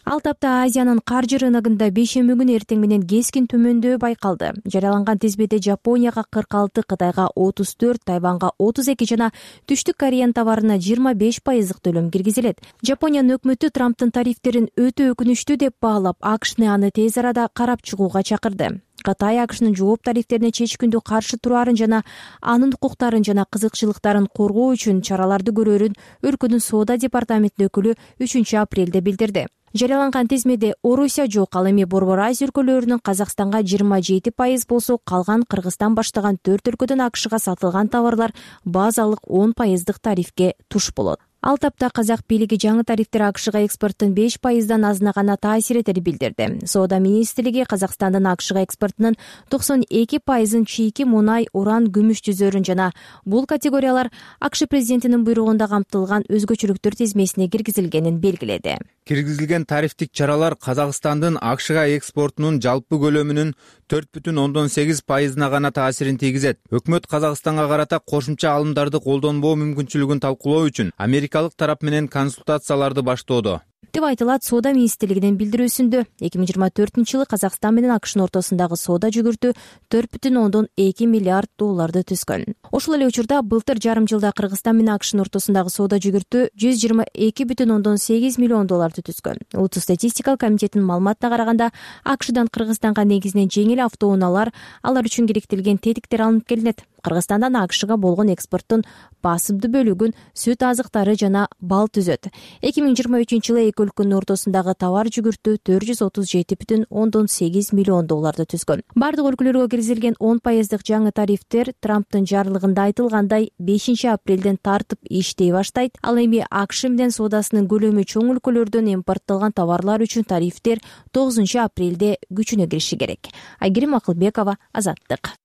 Ал тапта Азиянын каржы рыногунда бейшемби күнү эртең менен кескин төмөндөө байкалды. Жарыяланган тизмеде Жапонияга кырк алты, Кытайга отуз төрт, Тайванга отуз эки жана Түштүк Кореянын товарына жыйырма беш пайыздык төлөм киргизилет. Жапониянын өкмөтү Трамптын тарифтерин өтө өкүнүчтүү деп баалап, АКШны аны тез арада карап чыгууга чакырды. Кытай АКШнын жооп тарифтерине чечкиндүү каршы турарын жана анын укуктарын жана кызыкчылыктарын коргоо үчүн чараларды көрөрүн өлкөнүн соода департаментинин өкүлү үчүнчү апрелде билдирди. Жарыяланган тизмеде Орусия жок, ал эми Борбор Азия өлкөлөрүнүн Казакстанга жыйырма жети пайыз болсо, калган Кыргызстан баштаган төрт өлкөдөн АКШга сатылган товарлар базалык он пайыздык тарифке туш болот. Ал тапта казак бийлиги жаңы тарифтер АКШга экспорттун беш пайыздан азына гана таасир этерин билдирди. Соода министрлиги Казакстандын АКШга экспортунун токсон эки пайызын чийки мунай, уран, күмүш түзөрүн жана бул категориялар АКШ президентинин буйругунда камтылган өзгөчөлүктөр тизмесине киргизилгенин белгиледи. Киргизилген тарифтик чаралар Казакстандын АКШга экспортунун жалпы көлөмүнүн төрт бүтүн ондон сегиз пайызына гана таасирин тийгизет. Өкмөт Казакстанга карата кошумча алымдарды колдонбоо мүмкүнчүлүгүн талкуулоо үчүн америкалык тарап менен консультацияларды баштоодо деп айтылат соода министрлигинин билдирүүсүндө. эки миң жыйырма төртүнчү жылы Казакстан менен АКШнын ортосундагы соода жүгүртүү төрт бүтүн ондон эки миллиард долларды түзгөн. Ошол эле учурда былтыр жарым жылда Кыргызстан менен АКШнын ортосундагы соода жүгүртүү жүз жыйырма эки бүтүн ондон сегиз миллион долларды түзгөн. Улуттук статистика комитетинин маалыматына караганда, АКШдан Кыргызстанга негизинен жеңил автоунаалар, алар үчүн керектелген тетиктер алынып келинет. Кыргызстандан АКШга болгон экспорттун басымдуу бөлүгүн сүт азыктары жана бал түзөт. эки миң жыйырма үчүнчү жылы эки өлкөнүн ортосундагы товар жүгүртүү төрт жүз отуз жети бүтүн ондон сегиз миллион долларды түзгөн. Бардык өлкөлөргө киргизилген он пайыздык жаңы тарифтер Трамптын жарлыгында айтылгандай бешинчи апрелден тартып иштей баштайт. Ал эми АКШ менен соодасынын көлөмү чоң өлкөлөрдөн импорттолгон товарлар үчүн тарифтер тогузунчу апрелде күчүнө кириши керек. Айгерим Акылбекова, Азаттык.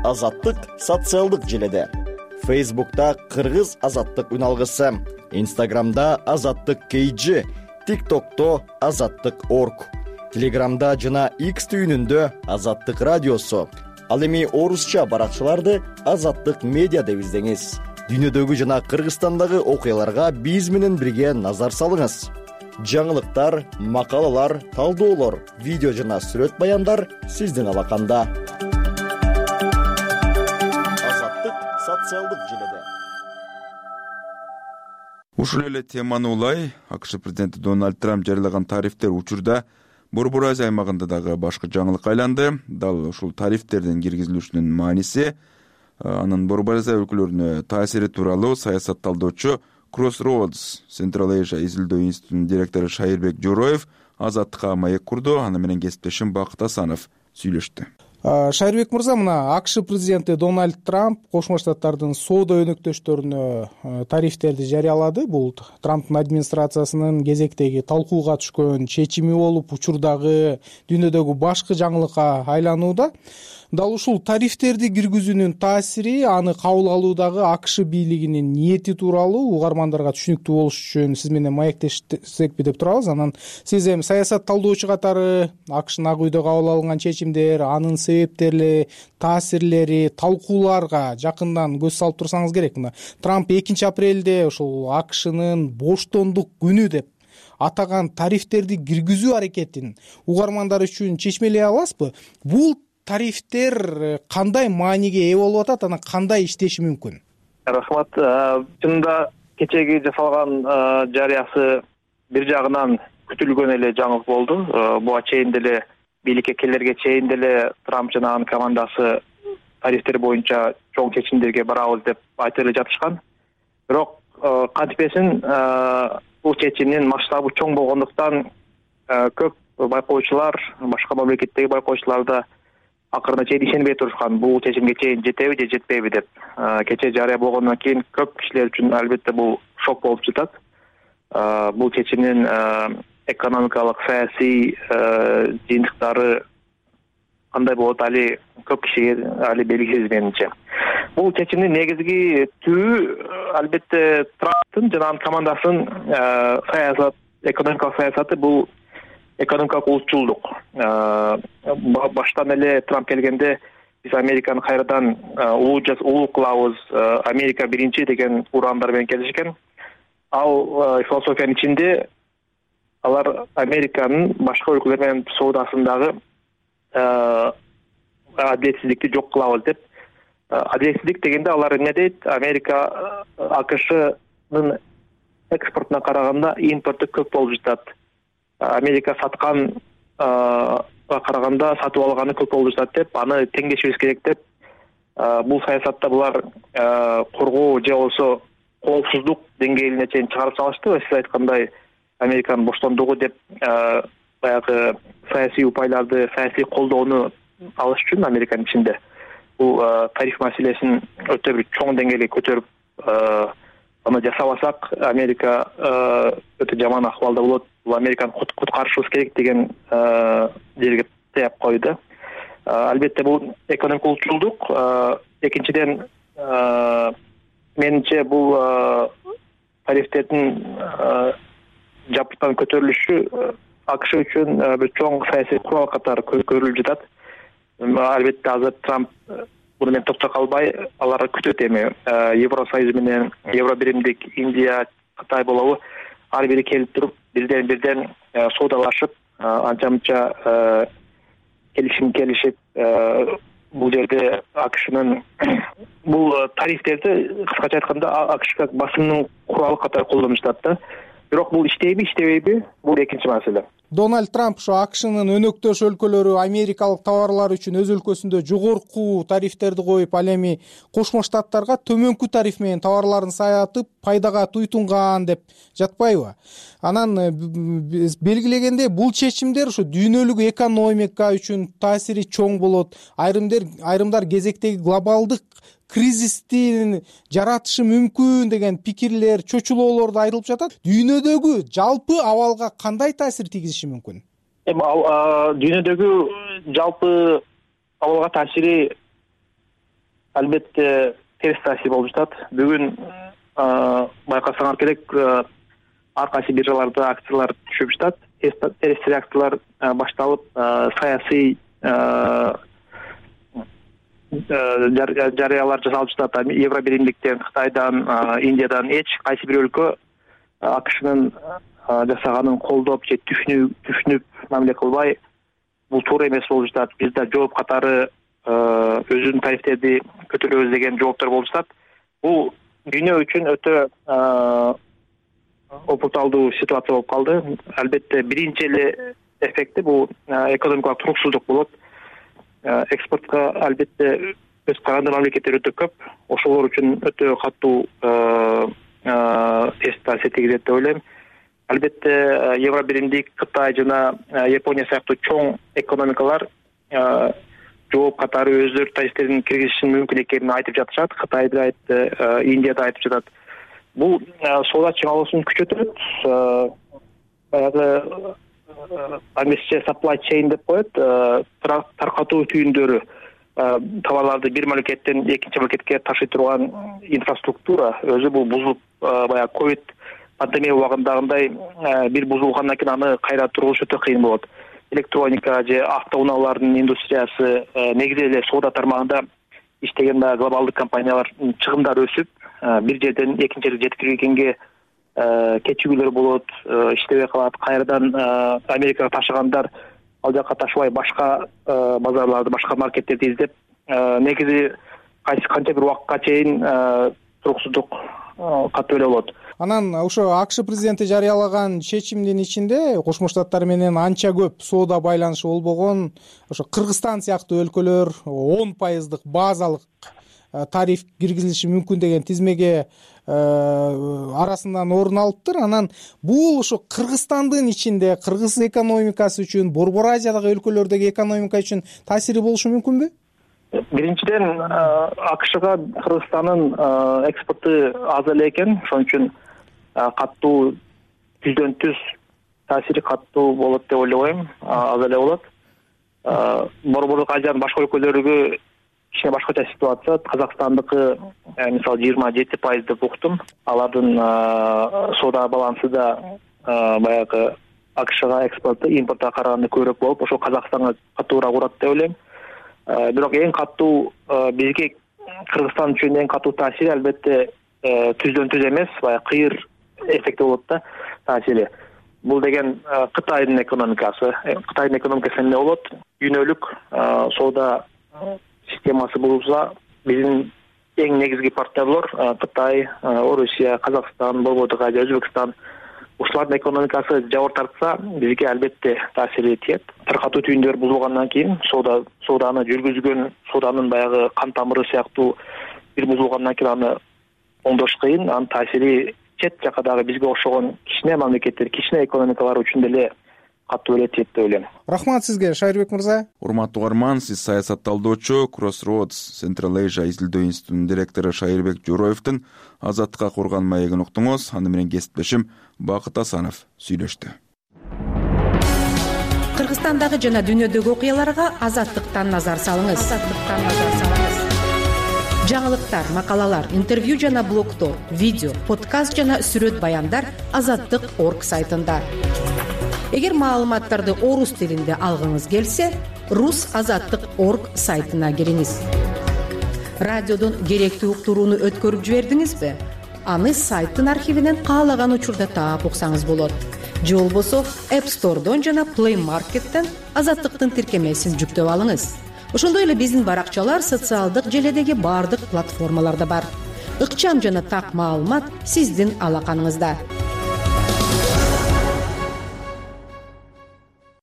Азаттык социалдык желеде. Фейсбукта Кыргыз Азаттык үналгысы, Инстаграмда Азаттык кей джи, ТикТокто Азаттык точка орг, Телеграмда жана X түйүнүндө Азаттык радиосу. Ал эми орусча баракчаларды Азаттык медиа деп издеңиз. Дүйнөдөгү жана Кыргызстандагы окуяларга биз менен бирге назар салыңыз. Жаңылыктар, макалалар, талдоолор, видео жана сүрөт баяндар сиздин алаканда. Социалдык желеде. Ушул эле теманы улай АКШ президенти Дональд Трамп жарыялаган тарифтер учурда Борбор Азия аймагында дагы башкы жаңылыкка айланды. Дал ушул тарифтердин киргизилишинин мааниси анын Борбор Азия өлкөлөрүнө таасири тууралуу саясат талдоочу Crossroads Central Asia изилдөө институтунун директору Шайырбек Жороев Азаттыкка маек курду. Аны менен кесиптешим Бакыт Асанов сүйлөштү. Шайырбек мырза, мына АКШ президенти Дональд Трамп Кошмо Штаттардын соода өнөктөштөрүнө тарифтерди жарыялады. Бул Трамптын администрациясынын кезектеги талкууга түшкөн чечими болуп, учурдагы дүйнөдөгү башкы жаңылыкка айланууда. Дал ушул тарифтерди киргизүүнүн таасири, аны кабыл алуудагы АКШ бийлигинин ниети тууралуу угармандарга түшүнүктүү болуш үчүн сиз менен маектешсекпи деп турабыз. Анан сиз эми саясат талдоочу катары АКШнын Ак үйдө кабыл алынган чечимдер, анын себептери, таасирлери, талкууларга жакындан көз салып турсаңыз керек. Мына Трамп экинчи апрелде ушул АКШнын боштондук күнү деп атаган тарифтерди киргизүү аракетин угармандар үчүн чечмелей аласызбы? Бул тарифтер кандай мааниге ээ болуп атат, анан кандай иштеши мүмкүн? Рахмат. Чынында кечеги жасалган жарыясы бир жагынан күтүлгөн эле жаңылык болду. Буга чейин деле бийликке келерге чейин деле Трамп жана анын командасы тарифтер боюнча чоң чечимдерге барабыз деп айтып эле жатышкан. Бирок кантипесин бул чечимдин масштабы чоң болгондуктан көп байкоочулар, башка мамлекеттеги байкоочулар да акырына чейин ишенбей турушкан. Бул чечимге чейин жетеби же жетпейби деп. Кече жарыя болгондон кийин көп кишилер үчүн албетте бул шок болуп жатат. Бул чечимдин экономикалык, саясий жыйынтыктары кандай болот али көп кишиге али белгисиз менимче. Бул чечимдин негизги түбү албетте Трамптын жана анын командасынын саясат, экономикалык саясаты бул экономикалык улутчулдук. Баштан эле Трамп келгенде биз Американы кайрадан улуу кылабыз, Америка биринчи деген ураандар менен келишкен. Ал философиянын ичинде алар Американын башка өлкөлөр менен соодасындагы адилетсиздикти жок кылабыз деп. Адилетсиздик дегенде алар эмне дейт? Америка АКШнын экспортуна караганда импорту көп болуп жатат. Америка саткан караганда сатып алганы көп болуп жатат деп, аны теңдешибиз керек деп. Бул саясатта булар коргоо же болбосо коопсуздук деңгээлине чейин чыгарып салышты. Сиз айткандай Американын боштондугу деп баягы саясий упайларды, саясий колдоону алыш үчүн Американын ичинде бул тариф маселесин өтө бир чоң деңгээлге көтөрүп аны жасабасак Америка өтө жаман акыбалда болот. Бул Американы куткарышыбыз керек деген жерге таяп койду. Албетте бул экономик улутчулдук. Экинчиден менимче бул тарифтердин жапыртан көтөрүлүшү АКШ үчүн бир чоң саясий курал катары көрүлүп жатат. Албетте азыр Трамп буну менен токтоп калбай, алар күтөт эми Евросоюз менен Евробиримдик Индия, Кытай болобу ар бири келип туруп бирден бирден соодалашып, анча-мынча келишим келишип, бул жерде АКШнын бул тарифтерди кыскача айтканда АКШга басымдын куралы катары колдонуп жатат да. Бирок бул иштейби, иштебейби? Бул экинчи маселе. Дональд Трамп ошо АКШнын өнөктөш өлкөлөрү америкалык товарлар үчүн өз өлкөсүндө жогорку тарифтерди коюп, ал эми Кошмо Штаттарга төмөнкү тариф менен товарларын сатып, пайдага туйтунган деп жатпайбы? Анан белгилегенде бул чечимдер ошо дүйнөлүк экономика үчүн таасири чоң болот. Айрымдар айрымдар кезектеги глобалдык кризисти жаратышы мүмкүн деген пикирлер, чочулоолорду айтылып жатат. Дүйнөдөгү жалпы абалга кандай таасир тийгизиши мүмкүн? Эми дүйнөдөгү жалпы абалга таасири албетте терс таасир болуп жатат. Бүгүн байкасаңар керек, ар кайсы биржаларда акциялар түшүп жатат. Терс реакциялар башталып, саясий жарыялар жасалып жатат. Евробиримдиктен, Кытайдан, Индиядан эч кайсы бир өлкө АКШнын жасаганын колдоп же түшүнүп мамиле кылбай, бул туура эмес болуп жатат. Бизде жооп катары өзүнүн тарифтерди көтөрөбүз деген жооптор болуп жатат. Бул дүйнө үчүн өтө опурталдуу ситуация болуп калды. Албетте биринчи эле эффекти бул экономикалык туруксуздук болот. Экспортко албетте өз каранды мамлекеттер өтө көп. Ошолор үчүн өтө катуу тест таасир тийгизет деп ойлойм. Албетте Евро биримдик, Кытай жана Япония сыяктуу чоң экономикалар жооп катары өздөрү тарифтерин киргизишин мүмкүн экенин айтып жатышат. Кытай да айтты, Индия да айтып жатат. Бул соода чыңалуусун күчөтөт. Баягы англисче supply chain деп коет. Таркатуу түйүндөрү, товарларды бир мамлекеттен экинчи мамлекетке ташый турган инфраструктура өзү бул бузулуп, баягы ковид пандемия убагындагындай бир бузулгандан кийин аны кайра тургузуш өтө кыйын болот. Электроника же автоунаалардын индустриясы негизи эле соода тармагында иштеген баягы глобалдык компаниялардын чыгымдары өсүп, бир жерден экинчи жерге жеткиргенге кечигүүлөр болот, иштебей калат. Кайрадан Америкага ташыгандар ал жака ташыбай башка базарларды, башка маркеттерди издеп, негизи кайсы канча бир убакытка чейин туруксуздук катуу эле болот. Анан ошо АКШ президенти жарыялаган чечимдин ичинде Кошмо Штаттар менен анча көп соода байланышы болбогон ошо Кыргызстан сыяктуу өлкөлөр он пайыздык базалык тариф киргизилиши мүмкүн деген тизмеге арасынан орун алыптыр. Анан бул ошо Кыргызстандын ичинде кыргыз экономикасы үчүн, Борбор Азиядагы өлкөлөрдөгү экономика үчүн таасири болушу мүмкүнбү? Биринчиден, АКШга Кыргызстандын экспорту аз эле экен, ошон үчүн катуу жүздөн жүз таасири катуу болот деп ойлойм, аз эле болот. Борборлук Азиянын башка өлкөлөрүгө кичине башкача ситуация. Казакстандыкы мисалы жыйырма жети пайыз деп уктум. Алардын соода балансы да баягы АКШга экспорту импортко караганда көбүрөөк болуп, ошол Казакстанга катуураак урат деп ойлойм. Бирок эң катуу бизге Кыргызстан үчүн эң катуу таасири албетте түздөн түз эмес, баягы кыйыр эффекти болот да таасири. Бул деген Кытайдын экономикасы. Кытайдын экономикасы эмне болот? Дүйнөлүк соода системасы бузулса, биздин эң негизги партнерлор Кытай, Орусия, Казакстан, Борбордук Азия, Өзбекстан, ушулардын экономикасы жабыр тартса, бизге албетте таасири тиет. Таркатуу түйүндөр бузулгандан кийин соода сооданы жүргүзгөн, сооданын баягы кан тамыры сыяктуу бир бузулгандан кийин аны оңдош кыйын. Анын таасири чет жака дагы бизге окшогон кичине мамлекеттер, кичине экономикалар үчүн деле катуу эле тиет деп ойлойм. Рахмат сизге, Шайырбек мырза. Урматтуу угарман, сиз саясат талдоочу Crossroads Central Asia изилдөө институтунун директору Шайырбек Жороевдин Азаттыкка курган маегин уктуңуз. Аны менен кесиптешим Бакыт Асанов сүйлөштү. Кыргызстандагы жана дүйнөдөгү окуяларга Азаттыктан назар салыңыз. Азаттыктан назар салыңыз. Жаңылыктар, макалалар, интервью жана блогдор, видео, подкаст жана сүрөт баяндар азаттык точка орг сайтында. Эгер маалыматтарды орус тилинде алгыңыз келсе, рус азаттык точка орг сайтына кириңиз. Радиодон керектүү уктурууну өткөрүп жибердиңизби? Аны сайттын архивинен каалаган учурда таап уксаңыз болот. Же болбосо App Store'дон жана Play Market'тен азаттыктын тиркемесин жүктөп алыңыз. Ошондой эле биздин баракчалар социалдык желедеги бардык платформаларда бар. Ыкчам жана так маалымат сиздин алаканыңызда.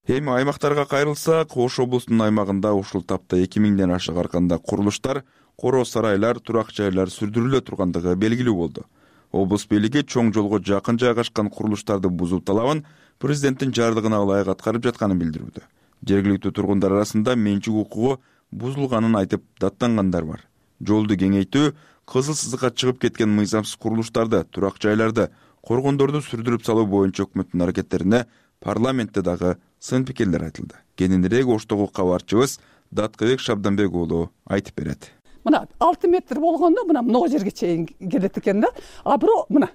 Эми аймактарга кайрылсак, Ош облусунун аймагында ушул тапта эки миңден ашык арканда курулуштар, коро сарайлар, турак жайлар сүрдүрүлө тургандыгы белгилүү болду. Облус бийлиги чоң жолго жакын жайгашкан курулуштарды бузуу талабын президенттин жардыгына ылайык аткарып жатканын билдирүүдө. Жергиликтүү тургундар арасында менчик укугу бузулганын айтып даттангандар бар. Жолду кеңейтүү, кызыл сызыкка чыгып кеткен мыйзамсыз курулуштарды, турак жайларды, коргондорду сүрдүрүп салуу боюнча өкмөттүн аракеттерине парламентте дагы сын пикирлер айтылды. Кененирээк Оштогу кабарчыбыз Даткыбек Шабданбек уулу айтып берет. Мына алты метр болгондо мына могу жерге чейин келет экен да. А бирок мына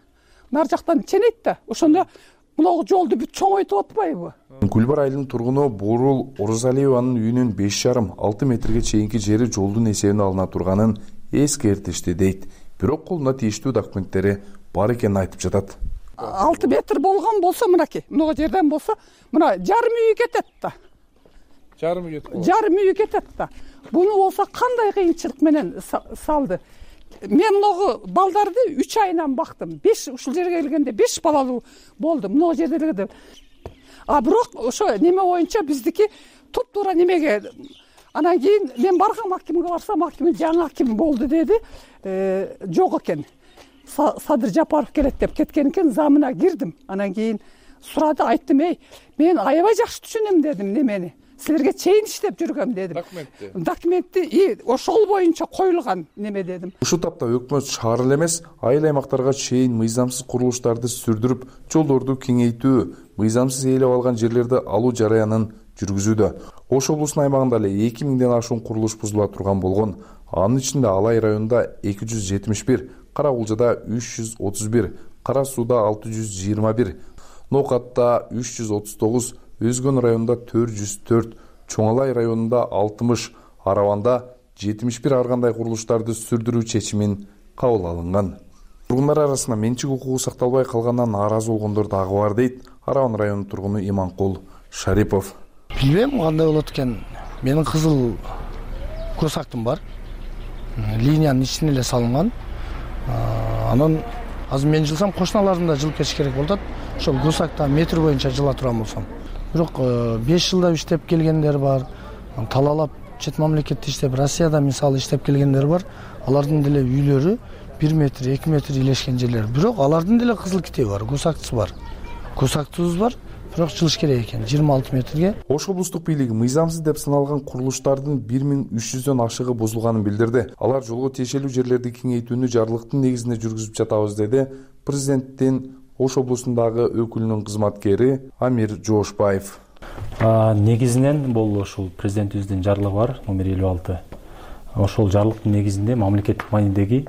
нар жактан ченейт да. Ошондо мына жолду бүт чоңойтуп атпайбы? Гүлбар айылынын тургуну Борул Орозалиеванын үйүнүн беш жарым алты метрге чейинки жери жолдун эсебине алына турганын эскертишти дейт. Бирок колуна тийиштүү документтери бар экенин айтып жатат. алты метр болгон болсо мынакей, мына жерден болсо мына жарым үй кетет да. Жарым үй кетет. Жарым үй кетет да. Буну болсо кандай кыйынчылык менен салды. Мен могу балдарды үч айынан бактым. беш ушул жерге келгенде беш балалуу болду. Мына жерде эле. А бирок ошо неме боюнча биздики туп-туура немеге Анан кийин мен баргам акимге, барсам аким жаңы аким болду деди, жок экен. Садыр Жапаров келет деп кеткен экен, замына кирдим. Анан кийин сурады, айттым, эй, мен аябай жакшы түшүнөм дедим немени. Силерге чейин иштеп жүргөм дедим. Документти. Документти и ошол боюнча коюлган неме дедим. Ушул тапта өкмөт шаар эле эмес, айыл аймактарга чейин мыйзамсыз курулуштарды сүрдүрүп, жолдорду кеңейтүү, мыйзамсыз ээлеп алган жерлерди алуу жараянын жүргүзүүдө. Ош облусунун аймагында эле эки миңден ашуун курулуш бузула турган болгон. Анын ичинде Алай районунда эки жүз жетимиш бир, Кара Кулжада үч жүз отуз бир, Кара Сууда алты жүз жыйырма бир, Нокатта үч жүз отуз тогуз, Өзгөн районунда төрт жүз төрт, Чоң Алай районунда алтымыш, Араванда жетимиш бир ар кандай курулуштарды сүрдүрүү чечимин кабыл алынган. Тургундар арасында менчик укугу сакталбай калгандан нааразы болгондор дагы бар дейт Араван районунун тургуну Иманкул Шарипов. Билбейм кандай болот экен. Менин кызыл көсактым бар. Линиянын ичине эле салынган. Анан азыр мен жылсам кошуналардын да жылып кетиш керек болот. Ошол көсакта метр боюнча жыла турган болсом. Бирок беш жылда иштеп келгендер бар. Талаалап чет мамлекетте иштеп, Россияда мисалы иштеп келгендер бар. Алардын деле үйлөрү бир метр, эки метр илешкен жерлер. Бирок алардын деле кызыл китеби бар, көсактысы бар. Көсактыбыз бар. Бирок жылыш керек экен жыйырма алты метрге. Ош облустук бийлиги мыйзамсыз деп саналган курулуштардын бир миң үч жүздөн ашыгы бузулганын билдирди. Алар жолго тиешелүү жерлерди кеңейтүүнү жарлыктын негизинде жүргүзүп жатабыз деди президенттин Ош облусундагы өкүлүнүн кызматкери Амир Жоошбаев. Негизинен бул ушул президентибиздин жарлыгы бар, номер элүү алты. Ошол жарлыктын негизинде мамлекеттик маанидеги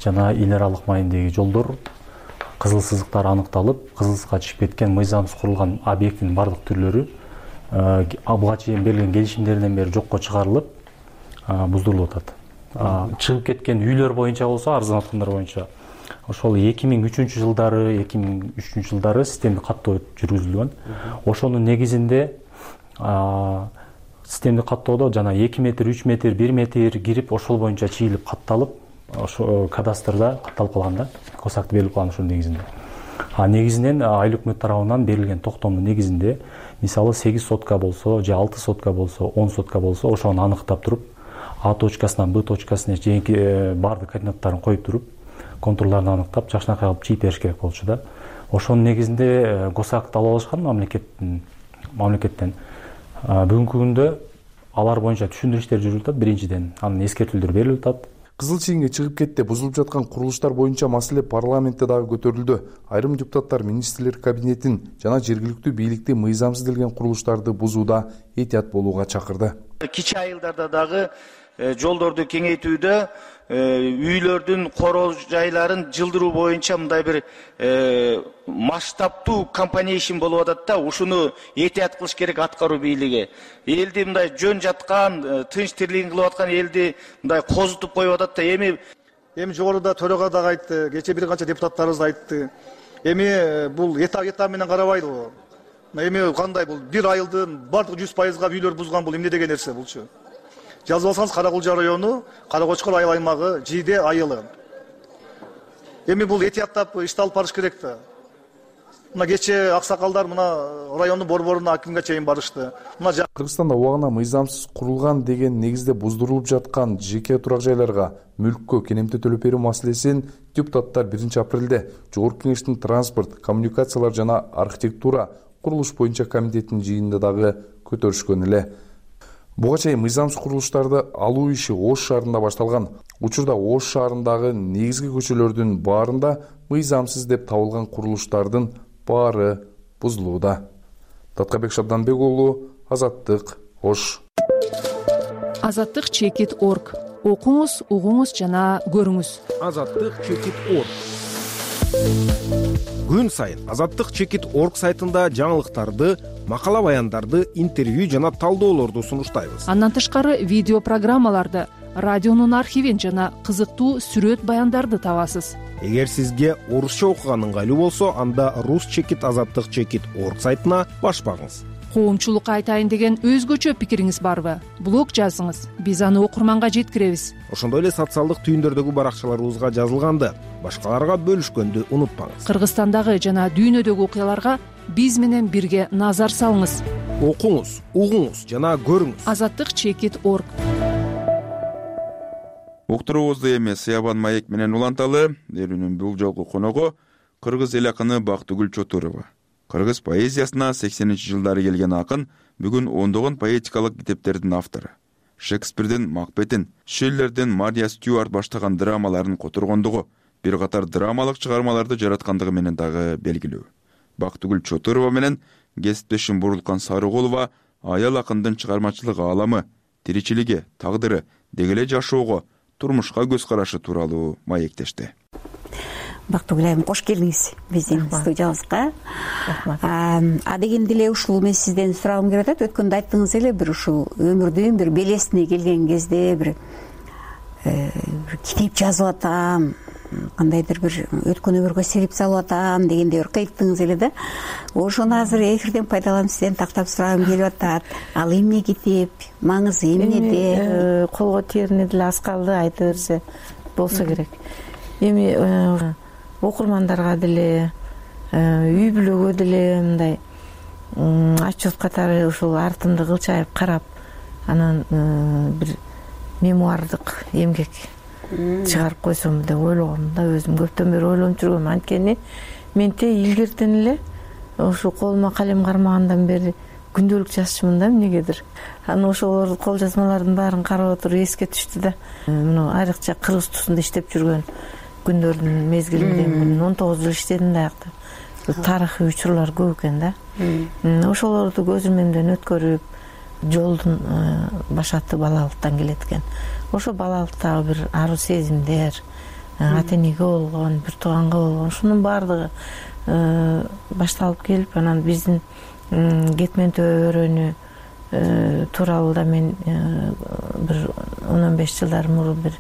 жана эл аралык маанидеги жолдор кызыл сызыктар аныкталып, кызыл сызыкка чыгып кеткен мыйзамсыз курулган объекттин бардык түрлөрү буга чейин берилген келишимдерден бери жокко чыгарылып, буздурулуп атат. Чыгып кеткен үйлөр боюнча болсо, арзан аткандар боюнча ошол эки миң үчүнчү жылдары, эки миң үчүнчү жылдары системдик каттоо жүргүзүлгөн. Ошонун негизинде системдик каттоодо жана эки метр, үч метр, бир метр кирип, ошол боюнча чийилип катталып, ошо кадастрда катталып калган да, көсакты берилип калган ошонун негизинде. А негизинен айыл өкмөт тарабынан берилген токтомдун негизинде, мисалы сегиз сотка болсо, же алты сотка болсо, он сотка болсо, ошону аныктап туруп, А точкасынан Б точкасына чейинки бардык координаттарын коюп туруп, контурларын аныктап, жакшынакай кылып чийип бериш керек болчу да. Ошонун негизинде көсакты алып алышкан мамлекеттин мамлекеттен. Бүгүнкү күндө алар боюнча түшүндүрүү иштери жүрүп атат биринчиден, анын эскертүүлөр берилип атат. Кызыл чейинге чыгып кетти, бузулуп жаткан курулуштар боюнча маселе парламентте дагы көтөрүлдү. Айрым депутаттар министрлер кабинетин жана жергиликтүү бийликти мыйзамсыз делген курулуштарды бузууда этият болууга чакырды. Кичи айылдарда дагы жолдорду кеңейтүүдө үйлөрдүн короо жайларын жылдыруу боюнча мындай бир масштабтуу компанейшн болуп атат да, ушуну этият кылыш керек аткаруу бийлиги. Элди мындай жөн жаткан, тынч тирлигин кылып аткан элди мындай козутуп коюп атат да. Эми эми жогоруда төрага дагы айтты, кечээ бир канча депутаттарыбыз айтты. Эми бул этап этап менен карабайды го. Эми кандай бул бир айылдын бардык жүз пайызга үйлөр бузган, бул эмне деген нерсе булчу? Жазып алсаңыз Кара Кулжа району, Кара Кочкор айыл аймагы, Жийде айылы. Эми бул этияттап ишти алып барыш керек да. Мына кечээ аксакалдар мына райондун борборуна акимге чейин барышты. Мына Кыргызстанда убагына мыйзамсыз курулган деген негизде буздурулуп жаткан жеке турак жайларга мүлккө кенемте төлөп берүү маселесин депутаттар биринчи апрелде Жогорку Кеңештин транспорт, коммуникациялар жана архитектура курулуш боюнча комитетинин жыйынында дагы көтөрүшкөн эле. Буга чейин мыйзамсыз курулуштарды алуу иши Ош шаарында башталган. Учурда Ош шаарындагы негизги көчөлөрдүн баарында мыйзамсыз деп табылган курулуштардын баары бузулууда. Таткабек Шабданбек уулу, Азаттык, Ош. Азаттык чекит точка орг. Окуңуз, угуңуз жана көрүңүз. Азаттык чекит точка орг. Күн сайын Азаттык чекит точка орг сайтында жаңылыктарды, макала баяндарды, интервью жана талдоолорду сунуштайбыз. Андан тышкары видео программаларды, радионун архивин жана кызыктуу сүрөт баяндарды табасыз. Эгер сизге орусча окуган ыңгайлуу болсо, анда рус чекит азаттык чекит точка орг сайтына баш багыңыз. Коомчулукка айтайын деген өзгөчө пикириңиз барбы? Блог жазыңыз, биз аны окурманга жеткиребиз. Ошондой эле социалдык түйүндөрдөгү баракчаларыбызга жазылганды башкаларга бөлүшкөндү унутпаңыз. Кыргызстандагы жана дүйнөдөгү окуяларга биз менен бирге назар салыңыз. окуңуз, угуңуз жана көрүңүз. азаттык чекит орг. Уктуруубузду эми Сыябан маек менен уланталы. Берүүнүн бул жолку коногу кыргыз эл акыны Бактыгүл Чотурова. Кыргыз поэзиясына сексенинчи жылдары келген акын бүгүн ондогон поэтикалык китептердин автору. Шекспирдин Макбетин, Шиллердин Мария Стюарт баштаган драмаларын которгондугу, бир катар драмалык чыгармаларды жараткандыгы менен дагы белгилүү. Бактыгүл Чотурова менен кесиптешим Бурулкан Сарыгулова аял акындын чыгармачылык ааламы, тиричилиги, тагдыры, деги эле жашоого, турмушка көз карашы тууралуу маектешти. Бактыгүл айым, кош келдиңиз биздин студиябызга. А дегенде эле ушул мен сизден сурагым келип атат. Өткөндө айттыңыз эле, бир ушул өмүрдүн бир белесине келген кезде бир китеп жазып атам, кандайдыр бир өткөн өмүргө серип салып атам дегенде бир кыйттыңыз эле да. Ошону азыр эфирден пайдаланып сизден тактап сурагым келип атат. Ал эмне китеп, маңызы эмнеде? Колго тиерине деле аз калды, айта берсе болсо керек. Эми окурмандарга деле, үй бүлөгө деле мындай отчет катары ушул артымды кылчайып карап, анан бир мемуардык эмгек чыгарып койсом деп ойлогом да. Өзүм көптөн бери ойлонуп жүргөм. Анткени менте илгертен эле ушу колума калем кармагандан бери күндөлүк жазчумун да эмнегедир. Анан ошолор кол жазмалардын баарын карап отуруп эске түштү да. Мына айрыкча Кыргыз тусунда иштеп жүргөн күндөрдүн мезгилинде он тогуз жыл иштедим да аякта. Тарыхый учурлар көп экен да. Ошолорду көзүмөн өткөрүп, жолдун башаты балалыктан келет экен. Ошо балалыктагы бир аруу сезимдер, ата энеге болгон, бир тууганга болгон, ушунун баардыгы башталып келип, анан биздин кетмен төбө өрөөнү тууралуу да мен бир он он беш жылдар мурун бир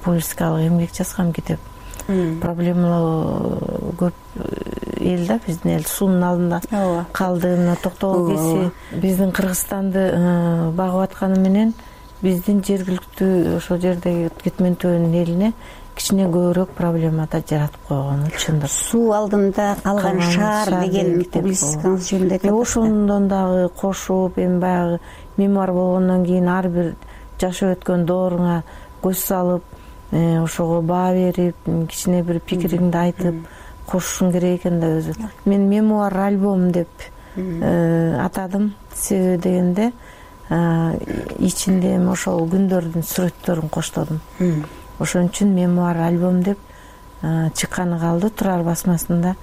публистикалык эмгек жазгам, китеп. Проблемалуу көп эл да, биздин эл суунун алдында калды. Мына Токтогул кеси биздин Кыргызстанды багып атканы менен биздин жергиликтүү ошол жердеги кетмен төбөнүн элине кичине көбүрөөк проблема да жаратып койгон. Чындык. Суу алдында калган шаар деген публистикаңыз жөнүндө айтып атасыз. Ошондон дагы кошуп, эми баягы мемуар болгондон кийин ар бир жашап өткөн дооруңа көз салып, ошого баа берип, кичине бир пикириңди айтып кошушуң керек экен да өзү. Мен мемуар альбом деп атадым. Себеби дегенде ичинде ошол күндөрдүн сүрөттөрүн коштодум. Ошон үчүн мемуар альбом деп чыкканы калды. Турар басмасында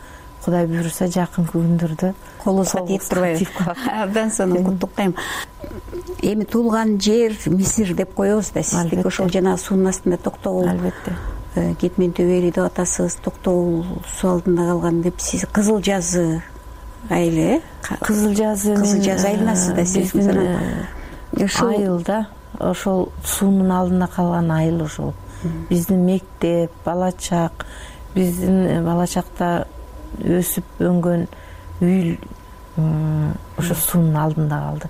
Кудай буйруса жакынкы күндөрдө колубузга тиеп турбайбы? Абдан сонун куттуктайм. Эми туулган жер Мисир деп коебуз да. Сиздики ошол жана суунун астында Токтогул. Албетте. Кетмен төбө эли деп атасыз. Токтогул суу алдында калган деп сиз Кызыл жазы айылы, Кызыл жазы Кызыл жазы айланасыз да сиз. Айыл да, ошол суунун алдында калган айыл ошол. Биздин мектеп, бала чак, биздин бала чакта өсүп өнгөн үй ошо суунун алдында калды.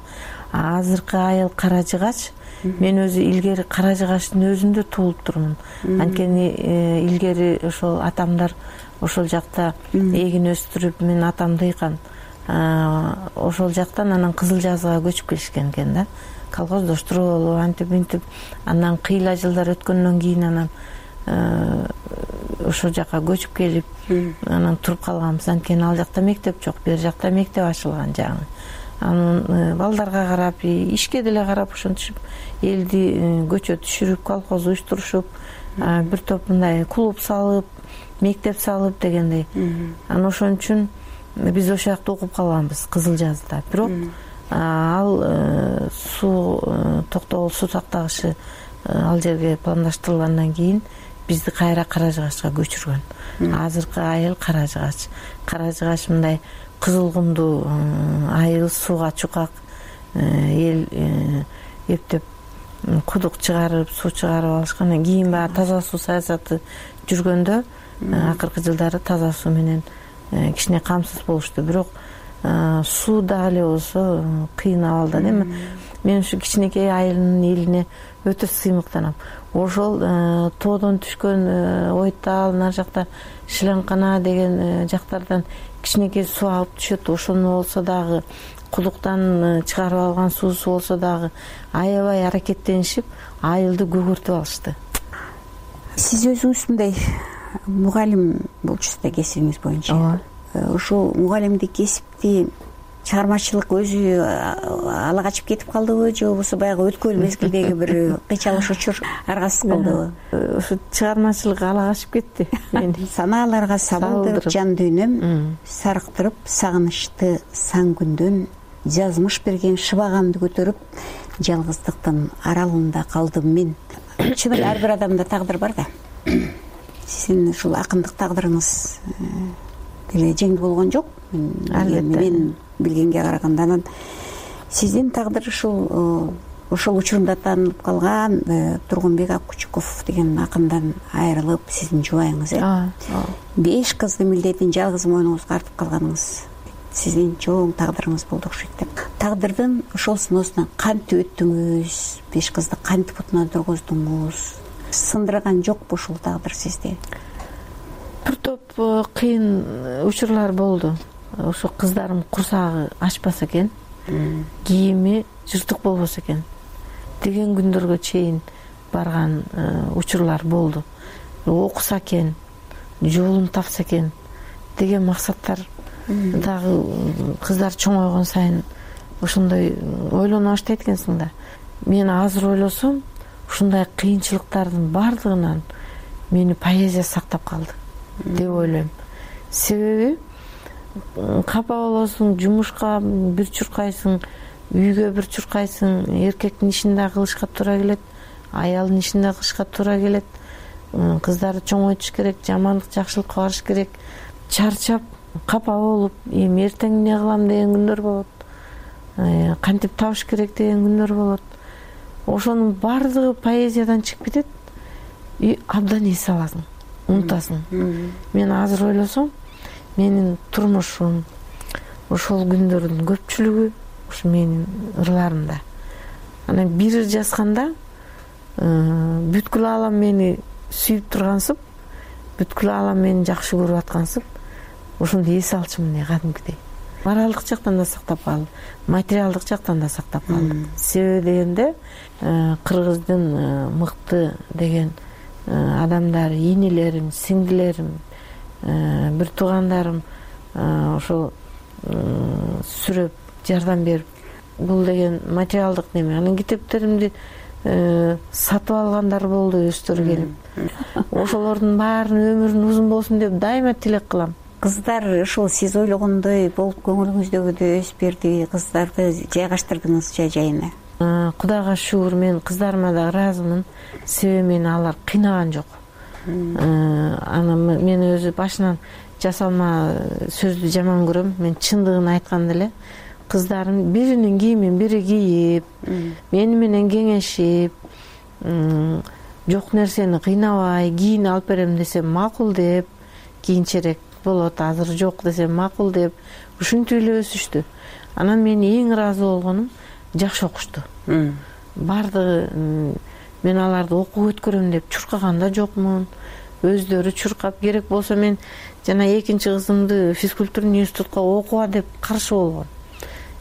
Азыркы айыл Кара Жыгач. Мен өзү илгери Кара Жыгачтын өзүндө туулуп турмун. Анткени илгери ошол атамдар ошол жакта эгин өстүрүп, мен атам дыйкан. Ошол жактан анан Кызыл жазыга көчүп келишкен экен да. Колхоздоштуруп болуп, антип мынтип, анан кыйла жылдар өткөндөн кийин анан ошол жака көчүп келип, анан туруп калганбыз. Анткени ал жакта мектеп жок, бер жакта мектеп ачылган жаңы. Анан балдарга карап, ишке деле карап ошентип элди көчө түшүрүп, колхоз уюштурушуп, бир топ мындай клуб салып, мектеп салып дегендей. Анан ошон үчүн биз ошол жакта окуп калганбыз, Кызыл жазда. Бирок ал суу Токтогул суу сактагычы ал жерге пландаштырылгандан кийин бизди кайра Кара Жыгачка көчүргөн. Азыркы айыл Кара Жыгач. Кара Жыгач мындай кызыл кумдуу айыл, сууга чукак эл эптеп кудук чыгарып, суу чыгарып алышкан. Кийин баягы таза суу саясаты жүргөндө акыркы жылдары таза суу менен кичине камсыз болушту. Бирок суу дагы эле болсо кыйын абалда. Эми мен ушу кичинекей айылдын элине өтө сыймыктанам. Ошол тоодон түшкөн Ойтал, нар жакта Шиланкана деген жактардан кичинекей суу алып түшөт. Ошону болсо дагы кудуктан чыгарып алган суусу болсо дагы аябай аракеттенишип айылды көгөртүп алышты. Сиз өзүңүз мындай мугалим болчусуз да кесибиңиз боюнча. Ооба. Ушул мугалимдик кесипти чыгармачылык өзү ала качып кетип калдыбы, же болбосо баягы өткөн мезгилдеги бир кыйчалыш учур аргасыз кылдыбы? Ушу чыгармачылык ала качып кетти мени. Санааларга сабылдырып жан дүйнөм, сарыктырып сагынычты сан күндөн, жазмыш берген шыбагамды көтөрүп, жалгыздыктын аралында калдым мен. Чын эле ар бир адамда тагдыр бар да. Сиздин ушул акындык тагдырыңыз деле жеңил болгон жок. Мен билгенге караганда анан сиздин тагдыр ушул ошол учурунда таанылып калган Тургунбек Аккучуков деген акындан айрылып, сиздин жубайыңыз э беш кыздын милдетин жалгыз мойнуңузга артып калганыңыз сиздин чоң тагдырыңыз болду окшойт деп. Тагдырдын ошол сыноосунан кантип өттүңүз? Беш кызды кантип бутуна тургуздуңуз? Сындырган жокпу ушул тагдыр сизди? Бир топ кыйын учурлар болду. Ошо кыздарым курсагы ачпаса экен, кийими жыртык болбосо экен деген күндөргө чейин барган учурлар болду. Окуса экен, жолун тапса экен деген максаттар дагы кыздар чоңойгон сайын ошондой ойлоно баштайт экенсиң да. Мен азыр ойлосом, ушундай кыйынчылыктардын бардыгынан мени поэзия сактап калды деп ойлойм. Себеби капа болосуң, жумушка бир чуркайсың, үйгө бир чуркайсың, эркектин ишин да кылышка туура келет, аялдын ишин да кылышка туура келет, кыздарды чоңойтуш керек, жамандык жакшылыкка барыш керек. Чарчап, капа болуп, эми эртең эмне кылам деген күндөр болот, кантип табыш керек деген күндөр болот. Ошонун бардыгы поэзиядан чыгып кетет и абдан эс аласың, унутасың. Мен азыр ойлосом, менин турмушум, ошол күндөрдүн көпчүлүгү ушу менин ырларымда. Анан бир ыр жазганда бүткүл аалам мени сүйүп тургансып, бүткүл аалам мени жакшы көрүп аткансып, ошондой эс алчумун кадимкидей. Моралдык жактан да сактап калды, материалдык жактан да сактап калды. Себеби дегенде кыргыздын мыкты деген адамдары, инилерим, сиңдилерим, бир туугандарым ошол сүрөп жардам берип, бул деген материалдык неме. Анан китептеримди сатып алгандар болду, өздөрү келип. Ошолордун баарынын өмүрүн узун болсун деп дайыма тилек кылам. Кыздар ушул сиз ойлогондой болуп көңүлүңүздөгүдөй өсүп берди, кыздарды жайгаштырдыңыз жай-жайына? Кудайга шүгүр, мен кыздарыма да ыраазымын. Себеби мени алар кыйнаган жок. Анан мен өзү башынан жасалма сөздү жаман көрөм. Мен чындыгын айтканда эле кыздарым биринин кийимин бири кийип, мени менен кеңешип, жок нерсени кыйнабай кийин алып берем десем макул деп, кийинчерээк болот, азыр жок десем макул деп, ушинтип эле өсүштү. Анан мен эң ыраазы болгонум, жакшы окушту. Бардыгы мен аларды окууга өткөрөм деп чуркаган да жокмун. Өздөрү чуркап, керек болсо мен жана экинчи кызымды физкультурный институтка окуга деп каршы болгон.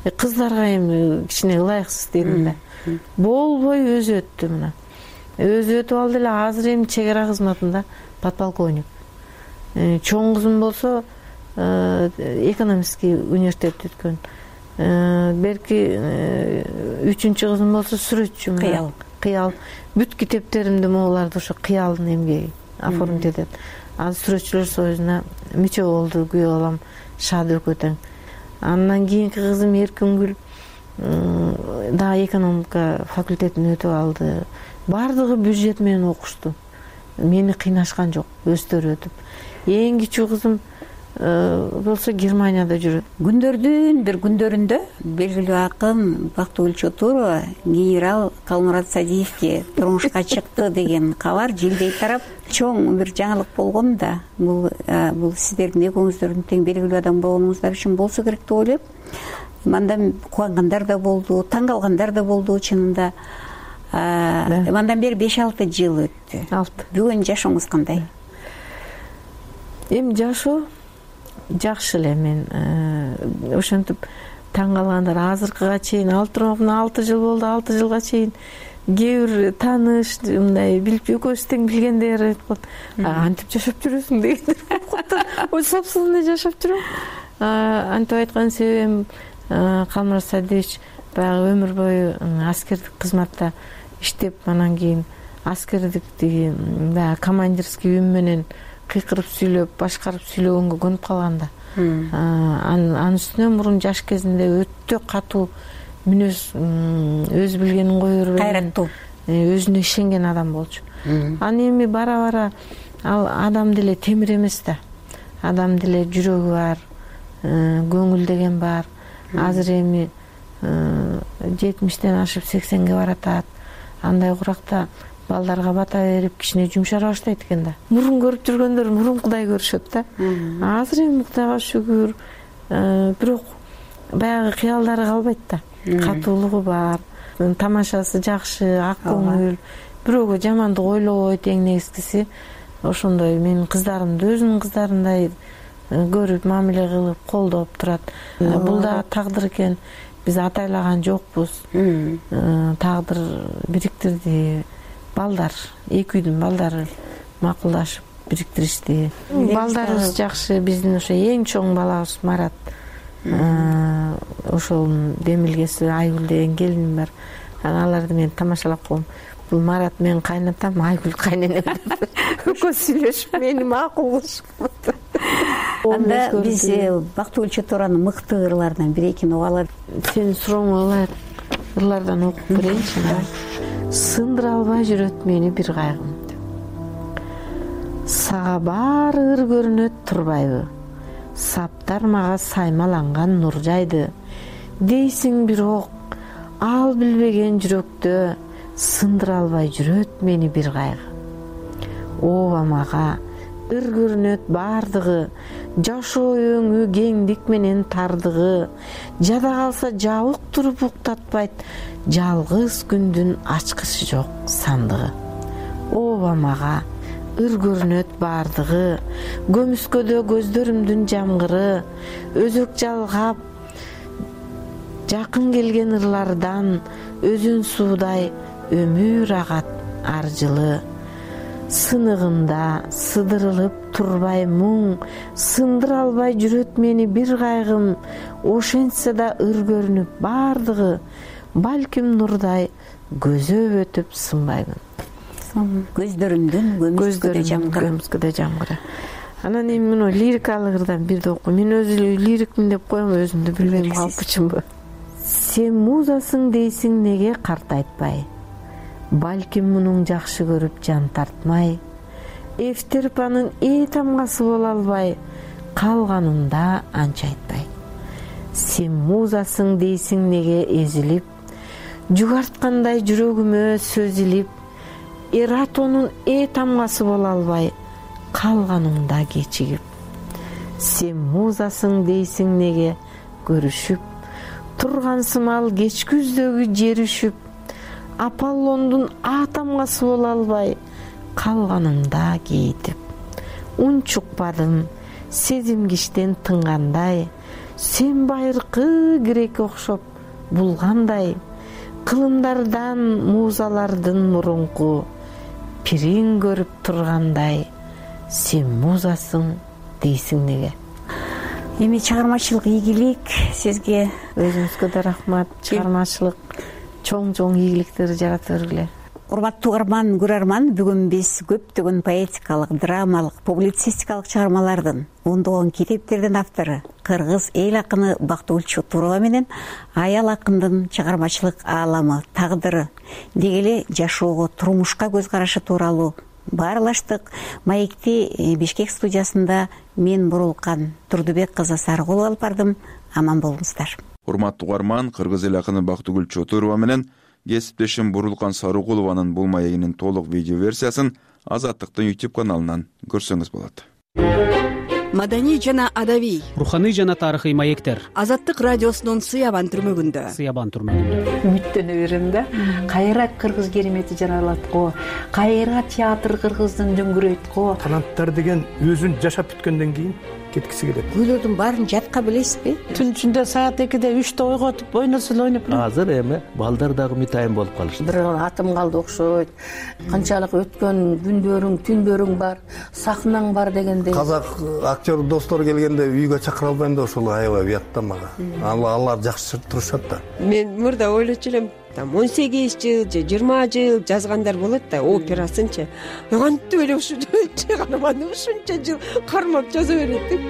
Кыздарга эми кичине ылайыксыз дедим да. Болбой өзү өттү мына. Өзү өтүп алды эле, азыр эми чек ара кызматында подполковник. Чоң кызым болсо экономический университетти өткөн. Берки үчүнчү кызым болсо сүрөтчү. Кыял. Кыял. Бүт китептеримди могуларды ошо кыялдын эмгеги оформить этет. Азыр сүрөтчүлөр союзуна мүчө болду, күйөө балам Шаадыбек Өтөң. Андан кийинки кызым Эркингүл дагы экономика факультетин өтүп алды. Бардыгы бюджет менен окушту. Мени кыйнашкан жок, өздөрү өтүп. Эң кичүү кызым болсо Германияда жүрөт. Күндөрдүн бир күндөрүндө белгилүү акын Бактыгүл Чотурова генерал Калмурат Садиевке турмушка чыкты деген кабар жилдей тарап, чоң бир жаңылык болгон да. Бул бул сиздердин экөөңүздөрдүн тең белгилүү адам болгонуңуздар үчүн болсо керек деп ойлойм. Мандан кубангандар да болду, таң калгандар да болду чынында. Мандан бери беш алты жыл өттү. алты. Бүгүн жашооңуз кандай? Эми жашоо жакшы эле. Мен ошентип таң калгандар азыркыга чейин ал турмакмын алты жыл болду, алты жылга чейин кээ бир тааныш мындай билип экөөбүз тең билгендер айтып калат, антип жашап жүрөсүң дегендер болуп калыптыр. Ой собственный жашап жүрөм. Антип айткан себебим Калмурат Садыевич баягы өмүр бою аскердик кызматта иштеп, анан кийин аскердиктиги баягы командирский үн менен кыйкырып сүйлөп, башкарып сүйлөгөнгө көнүп калганда, анын үстүнө мурун жаш кезинде өтө катуу мүнөз, өз билгенин кое бербеген, кайраттуу, өзүнө ишенген адам болчу. Анан эми бара-бара ал адам деле темир эмес да. Адам деле жүрөгү бар, көңүл деген бар. Азыр эми жетимиштен ашып сексенге баратат. Андай куракта балдарга бата берип кичине жумшара баштайт экен да. Мурун көрүп жүргөндөр мурун Кудай көрүшөт да. Азыр эми Кудайга шүгүр, бирок баягы кыялдары калбайт да. Катуулугу бар, тамашасы жакшы, ак көңүл, бирөөгө жамандык ойлобойт. Эң негизгиси ошондой менин кыздарымды өзүнүн кыздарындай көрүп, мамиле кылып, колдоп турат. Бул да тагдыр экен. Биз атайлаган жокпуз. Тагдыр бириктирди. Балдар, эки үйдүн балдары макулдашып бириктиришти. Балдарыбыз жакшы. Биздин ошо эң чоң балабыз Марат. Ошол Демилгеси Айгүл деген келиним бар. Аларды мен тамашалап коем. Бул Марат менин кайнатам, Айгүл кайненем деп экөөсү сүйлөшүп, мени макул кылышып. Анда биз Бактыгүл Чотуранын мыкты ырларынан бир экини угуп алалы. Сенин сурооңо ылайык ырлардан окуп берейинчи. Сындыра албай жүрөт мени бир кайгым. Сага баары ыр көрүнөт турбайбы? Саптар мага саймаланган нур жайды. Дейсиң бирок ал билбеген жүрөктө сындыра албай жүрөт мени бир кайгы. Ооба мага ыр көрүнөт баардыгы, жашоо өңү кеңдик менен тардыгы. Жада калса жабык туруп уктатпайт, жалгыз күндүн ачкычы жок сандыгы. Ооба мага ыр көрүнөт баардыгы, көмүскөдө көздөрүмдүн жамгыры. Өзөк жалгап жакын келген ырлардан, өзүн суудай өмүр агат ар жылы. Сыныгында сыдырылып турбай муң, сындыра албай жүрөт мени бир кайгым. Ошентсе да ыр көрүнүп баардыгы, балким нурдай көзөп өтүп сынбаймын. Көздөрүмдүн көмүскөдө жамгыры. Анан эми мына лирикалык ырдан бирди окуйм. Мен өзү лирикмин деп коем, өзүмдү билбейм калпычымбы. Сен музасың дейсиң неге картайтпай? Балким мунуң жакшы көрүп жан тартмай. Эфтерпанын ээ тамгасы боло албай, калганында анча айтпай. Сен музасың дейсиң неге эзилип, жугарткандай жүрөгүмө сөз илип. Эратонун ээ тамгасы боло албай, калганыңда кечигип. Сен музасың дейсиң неге көрүшүп, турган сымал кеч күздөгү жер үшүп. Аполлондун а тамгасы боло албай, калганыңда кейитип. Ун чукпадым, сезимгиштен тынгандай, сен байыркы грек окшоп булгандай. Кылымдардан музалардын мурунку, пириң көрүп тургандай. Сен музасың дейсиң неге? Эми чыгармачылык ийгилик сизге. Өзүңүзгө да рахмат. Чыгармачылык чоң-чоң ийгиликтерди жарата бергиле. Урматтуу угарман, көрөрман, бүгүн биз көптөгөн поэтикалык, драмалык, публицистикалык чыгармалардын, ондогон китептердин автору, кыргыз эл акыны Бактыгүл Чотурова менен аял акындын чыгармачылык ааламы, тагдыры, деги эле жашоого, турмушка көз карашы тууралуу баарлаштык. Маекти Бишкек студиясында мен Бурулкан Турдубек кызы Сарыгулова алып бардым. Аман болуңуздар. Урматтуу угарман, кыргыз эл акыны Бактыгүл Чотурова менен кесиптешим Бурулкан Сарыгулованын бул маегинин толук видео версиясын Азаттыктын YouTube каналынан көрсөңүз болот. Маданий жана адабий, руханий жана тарыхый маектер. Азаттык радиосунун Сыябан түрмөгүндө. Сыябан түрмөгүндө. Үмүттөнө берем да. Кайра кыргыз керемети жаралат го. Кайра театр кыргыздын дөңгүрөйт го. Таланттар деген өзүн жашап бүткөндөн кийин кеткиси келет. Үйлөрдүн баарын жатка билесизби? Түн ичинде саат экиде үчтө ойготуп ойносо эле ойноп Азыр эми балдар дагы үмүтайым болуп калышты. бир атым калды окшойт. Канчалык өткөн күндөрүң, түндөрүң бар, сахнаң бар дегендей. Казак актер достор келгенде үйгө чакыра албайм да ошол аябай уят да мага. Алар жакшы турушат да. Мен мурда ойлочу элем, там он сегиз жыл же жыйырма жыл жазгандар болот да операсынчы. Кантип эле ушунча каарманды ушунча жыл кармап жаза берет деп.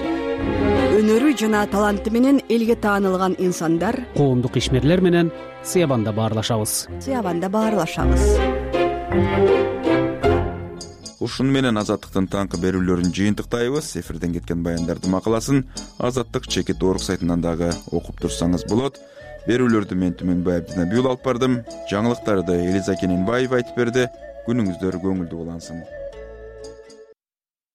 Өнөрү жана таланты менен элге таанылган инсандар коомдук ишмерлер менен Сыябанда баарлашабыз. Сыябанда баарлашабыз. Ушуну менен Азаттыктын таңкы берүүлөрүн жыйынтыктайбыз. Эфирден кеткен баяндардын макаласын Азаттык чекит орг сайтынан дагы окуп турсаңыз болот. Берүүлөрдү мен Түмөнбай Абдинабиул алып бардым. Жаңылыктарды Элиза Кененбаева айтып берди. Күнүңүздөр көңүлдүү улансын.